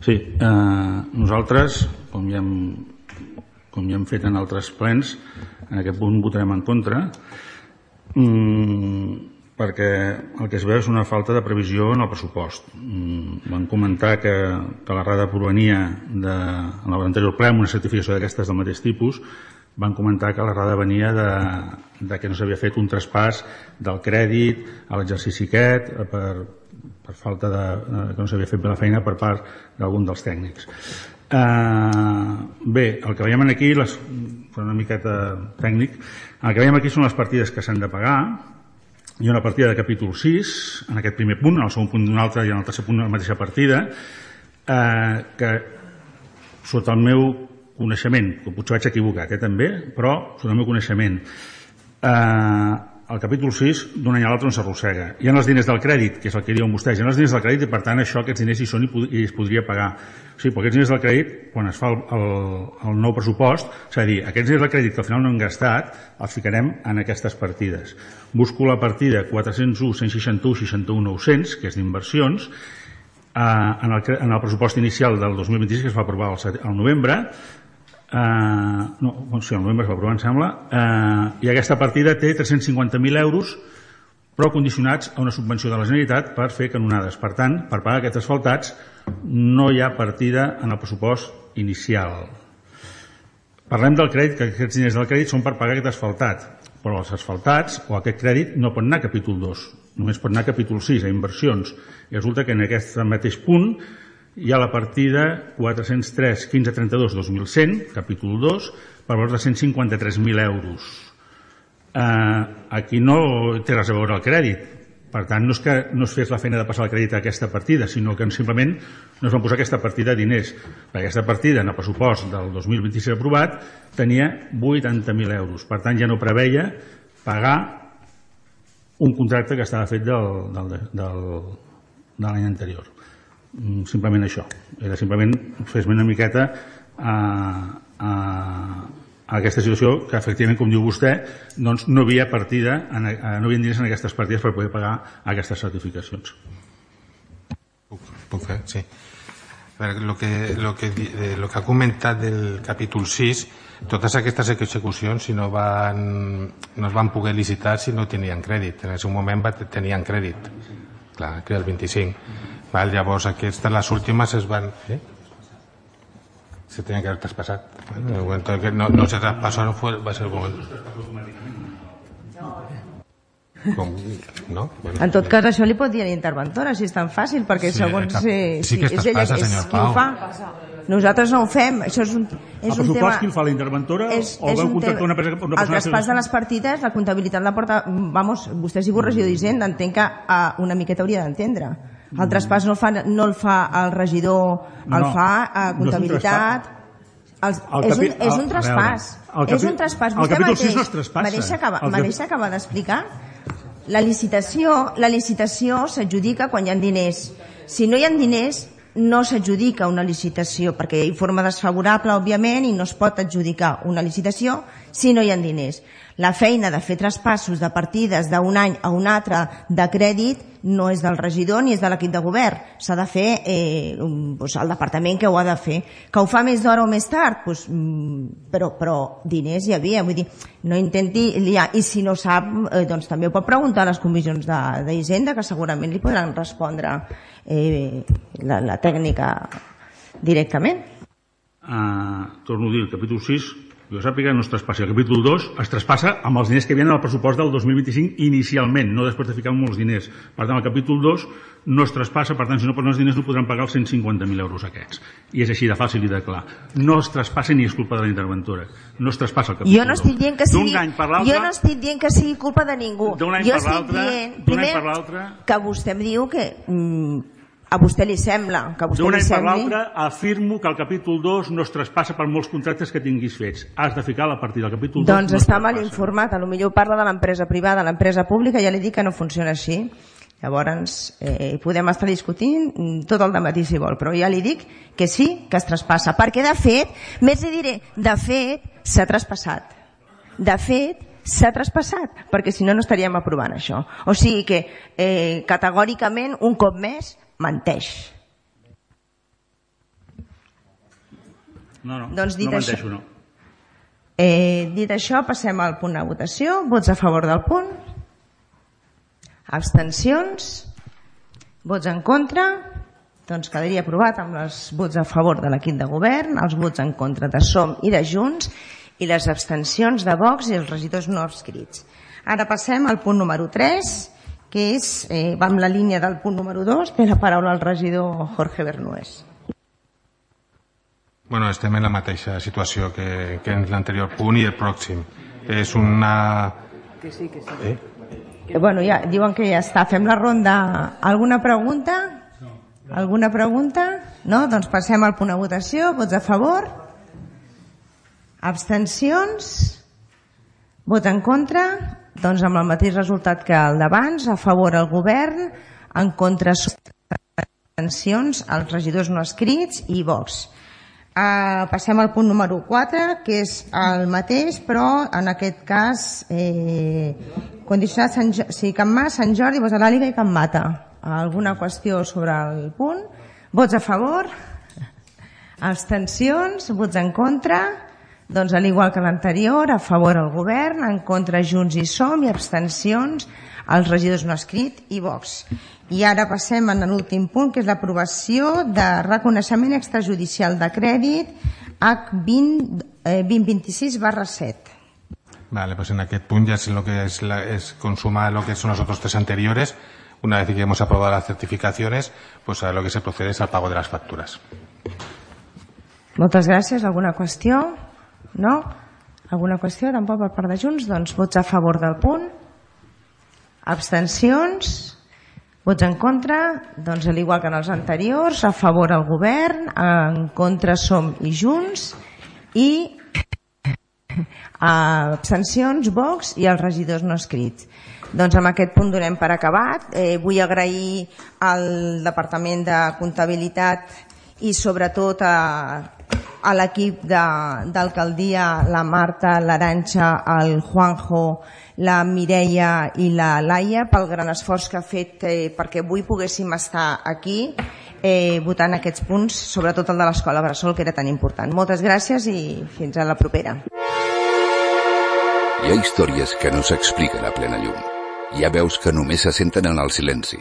Sí, eh, nosaltres, com ja, hem, com ja hem fet en altres plens, en aquest punt votarem en contra. Mm, perquè el que es veu és una falta de previsió en el pressupost. Van comentar que, que la RADA provenia de, en l'anterior ple, amb una certificació d'aquestes del mateix tipus, van comentar que la RADA venia de, de que no s'havia fet un traspàs del crèdit a l'exercici aquest per, per falta de, que no s'havia fet bé la feina per part d'algun dels tècnics. Uh, bé, el que veiem aquí, les, una miqueta tècnic, el que veiem aquí són les partides que s'han de pagar. Hi ha una partida de capítol sis, en aquest primer punt, en el segon punt d'un altre i en el tercer punt la mateixa partida, eh, que sota el meu coneixement, que potser vaig equivocat eh, també, però sota el meu coneixement, eh, el capítol sis d'un any a l'altre on s'arrossega. Hi ha els diners del crèdit, que és el que diuen vostès, hi ha els diners del crèdit i per tant això, aquests diners hi són i, i es podria pagar. O sigui, però aquests diners del crèdit, quan es fa el, el, el nou pressupost, s'ha de dir, aquests diners del crèdit que al final no hem gastat, els ficarem en aquestes partides. Busco la partida quatre-cents u, cent seixanta-u, seixanta-u, nou-cents, que és d'inversions, eh, en, el, en el pressupost inicial del dos mil vint-i-sis, que es va aprovar al, al novembre, Uh, no, sí, el novembre es va aprovar, em sembla, uh, i aquesta partida té tres-cents cinquanta mil euros, però condicionats a una subvenció de la Generalitat per fer canonades. Per tant, per pagar aquests asfaltats no hi ha partida en el pressupost inicial. Parlem del crèdit, que aquests diners del crèdit són per pagar aquest asfaltat, però els asfaltats o aquest crèdit no pot anar a capítol dos, només pot anar a capítol sis, a inversions. I resulta que en aquest mateix punt hi ha la partida quatre-cents tres, quinze trenta-dos, dos mil cent, capítol dos, per valor de cent cinquanta-tres mil euros. Eh, aquí no té res a veure el crèdit. Per tant, no és que no es fes la feina de passar el crèdit a aquesta partida, sinó que simplement no es van posar aquesta partida de diners. Perquè aquesta partida, en el pressupost del dos mil vint-i-sis aprovat, tenia vuitanta mil euros. Per tant, ja no preveia pagar un contracte que estava fet del, del, del, de l'any anterior. Simplement això, era simplement fer-me una miqueta a, a, a aquesta situació que efectivament, com diu vostè, doncs no havia partida, en, no havia diners en aquestes partides per poder pagar aquestes certificacions. Puc, puc fer, sí. A veure, lo que, lo que, lo que ha comentat del capítol sis, totes aquestes execucions si no, van, no es van poder licitar si no tenien crèdit. En aquest moment tenien crèdit, clar, que era el vint-i-cinc. Val, llavors aquestes, les últimes es van... Eh? Se tenien que haver traspassat. En el moment que no, no se traspasaron fue, va ser el moment. Com, no? Bueno, en tot cas, això li pot dir a l'interventora, si és tan fàcil, perquè sí, segons... Eh, sí que es traspassa, senyor Pau. Qui ho fa. Nosaltres no ho fem. Això és un, és el un tema... qui el fa, la interventora? És, o és veu un contractar tema... una persona? Una el traspàs de les partides, la comptabilitat la porta... Vamos, vostè ha sigut regidor d'Hisenda, entenc que uh, una miqueta hauria d'entendre. El traspàs no el fa, no el fa el regidor, el no, fa a comptabilitat. No és, un, és, un, és un traspàs. És un traspàs. Vostè mateix, no es traspassa. Me deixa acabar, me deixa acabar d'explicar. La licitació, la licitació s'adjudica quan hi ha diners. Si no hi ha diners, no s'adjudica una licitació, perquè hi ha forma desfavorable, òbviament, i no es pot adjudicar una licitació si no hi ha diners. La feina de fer traspassos de partides d'un any a un altre de crèdit no és del regidor ni és de l'equip de govern. S'ha de fer eh, doncs el departament que ho ha de fer. Que ho fa més d'hora o més tard? Doncs, però, però diners hi havia. Vull dir, no intenti liar. I si no sap, eh, doncs també ho pot preguntar a les comissions d'Hisenda, que segurament li podran respondre eh, la, la tècnica directament. Uh, torno a dir, el capítol sis... Jo sàpiga, no es traspassa. El capítol dos es traspassa amb els diners que havien en el pressupost del dos mil vint-i-cinc inicialment, no després de ficar molts diners. Per tant, el capítol dos no es traspassa, per tant, si no posen els diners no podran pagar els cent cinquanta mil euros aquests. I és així de fàcil i de clar. No es traspassa ni és culpa de la interventora. No es traspassa el capítol jo no estic dient que sigui, jo no estic dient que sigui culpa de ningú. D'un any jo per l'altre, primer, per l'altre... que vostè em diu que... Mm, a vostè li sembla que vostè d'un li any sembli... per l'altre afirmo que el capítol dos no es traspassa per molts contractes que tinguis fets. Has de ficar la partida del capítol dos. Doncs no està mal informat, a lo millor parla de l'empresa privada, l'empresa pública ja li dic que no funciona així. Llavors eh, podem estar discutint tot el dematí si vol, però ja li dic que sí que es traspassa, perquè de fet, més li diré, de fet s'ha traspassat. De fet s'ha traspassat, perquè si no no estaríem aprovant això. O sigui que eh, categòricament un cop més menteix. No, no, doncs dit no això, menteixo, no. Eh, dit això, passem al punt de votació. Vots a favor del punt? Abstencions? Vots en contra? Doncs quedaria aprovat amb els vots a favor de l'equip de govern, els vots en contra de SOM i de Junts i les abstencions de Vox i els regidors no adscrits. Ara passem al punt número tres, que és, eh, va amb la línia del punt número dos, té la paraula el regidor Jorge Bernués. Bueno, estem en la mateixa situació que, que en l'anterior punt i el pròxim. És una... Que sí, que sí. Eh? Que, bueno, ja, diuen que ja està. Fem la ronda. Alguna pregunta? Alguna pregunta? No? Doncs passem al punt de votació. Vots a favor? Abstencions? Vot en contra? Doncs amb el mateix resultat que el d'abans. A favor el govern, en contra abstencions, els regidors no escrits i Vox. Uh, passem al punt número quatre, que és el mateix, però en aquest cas eh, condicionat Sant, jo sí, Can Mas, Sant Jordi, Bosch de l'Àliga i Can Mata. Alguna qüestió sobre el punt? Vots a favor? Abstencions? Vots en contra? Doncs al igual que l'anterior, a favor el govern, en contra Junts i Som i abstencions als regidors no escrit i Vox. I ara passem a l'últim punt, que és l'aprovació de reconeixement extrajudicial de crèdit H vint vint-i-sis barra set. Vale, pues en aquest punt ya es lo que es, la, es consuma lo que son los otros tres anteriores. Una vez que hemos aprobado las certificaciones, pues a lo que se procede es al pago de las facturas. Moltes gràcies. Alguna qüestió? No? Alguna qüestió? Tampoc per part de Junts? Doncs vots a favor del punt. Abstencions? Vots en contra? Doncs al igual que en els anteriors, a favor el govern, en contra Som i Junts i abstencions, Vox i els regidors no escrits. Doncs amb aquest punt donem per acabat. Eh, vull agrair al Departament de Comptabilitat i sobretot a, a l'equip d'alcaldia, la Marta, l'Arantxa, el Juanjo, la Mireia i la Laia pel gran esforç que ha fet eh, perquè avui poguéssim estar aquí eh, votant aquests punts, sobretot el de l'Escola Bressol, que era tan important. Moltes gràcies i fins a la propera. Hi ha històries que no s'expliquen a plena llum. Hi ha veus que només se senten en el silenci.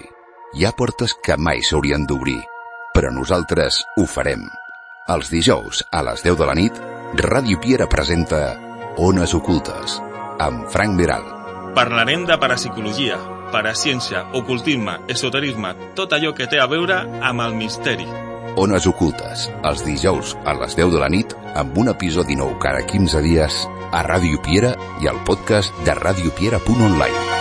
Hi ha portes que mai s'haurien d'obrir, però nosaltres ho farem. Els dijous, a les deu de la nit, Ràdio Piera presenta Ones Ocultes, amb Frank Veral. Parlarem de parapsicologia, paraciència, ocultisme, esoterisme, tot allò que té a veure amb el misteri. Ones Ocultes, els dijous a les deu de la nit, amb un episodi nou cada quinze dies, a Ràdio Piera i al podcast de radiopiera punt online.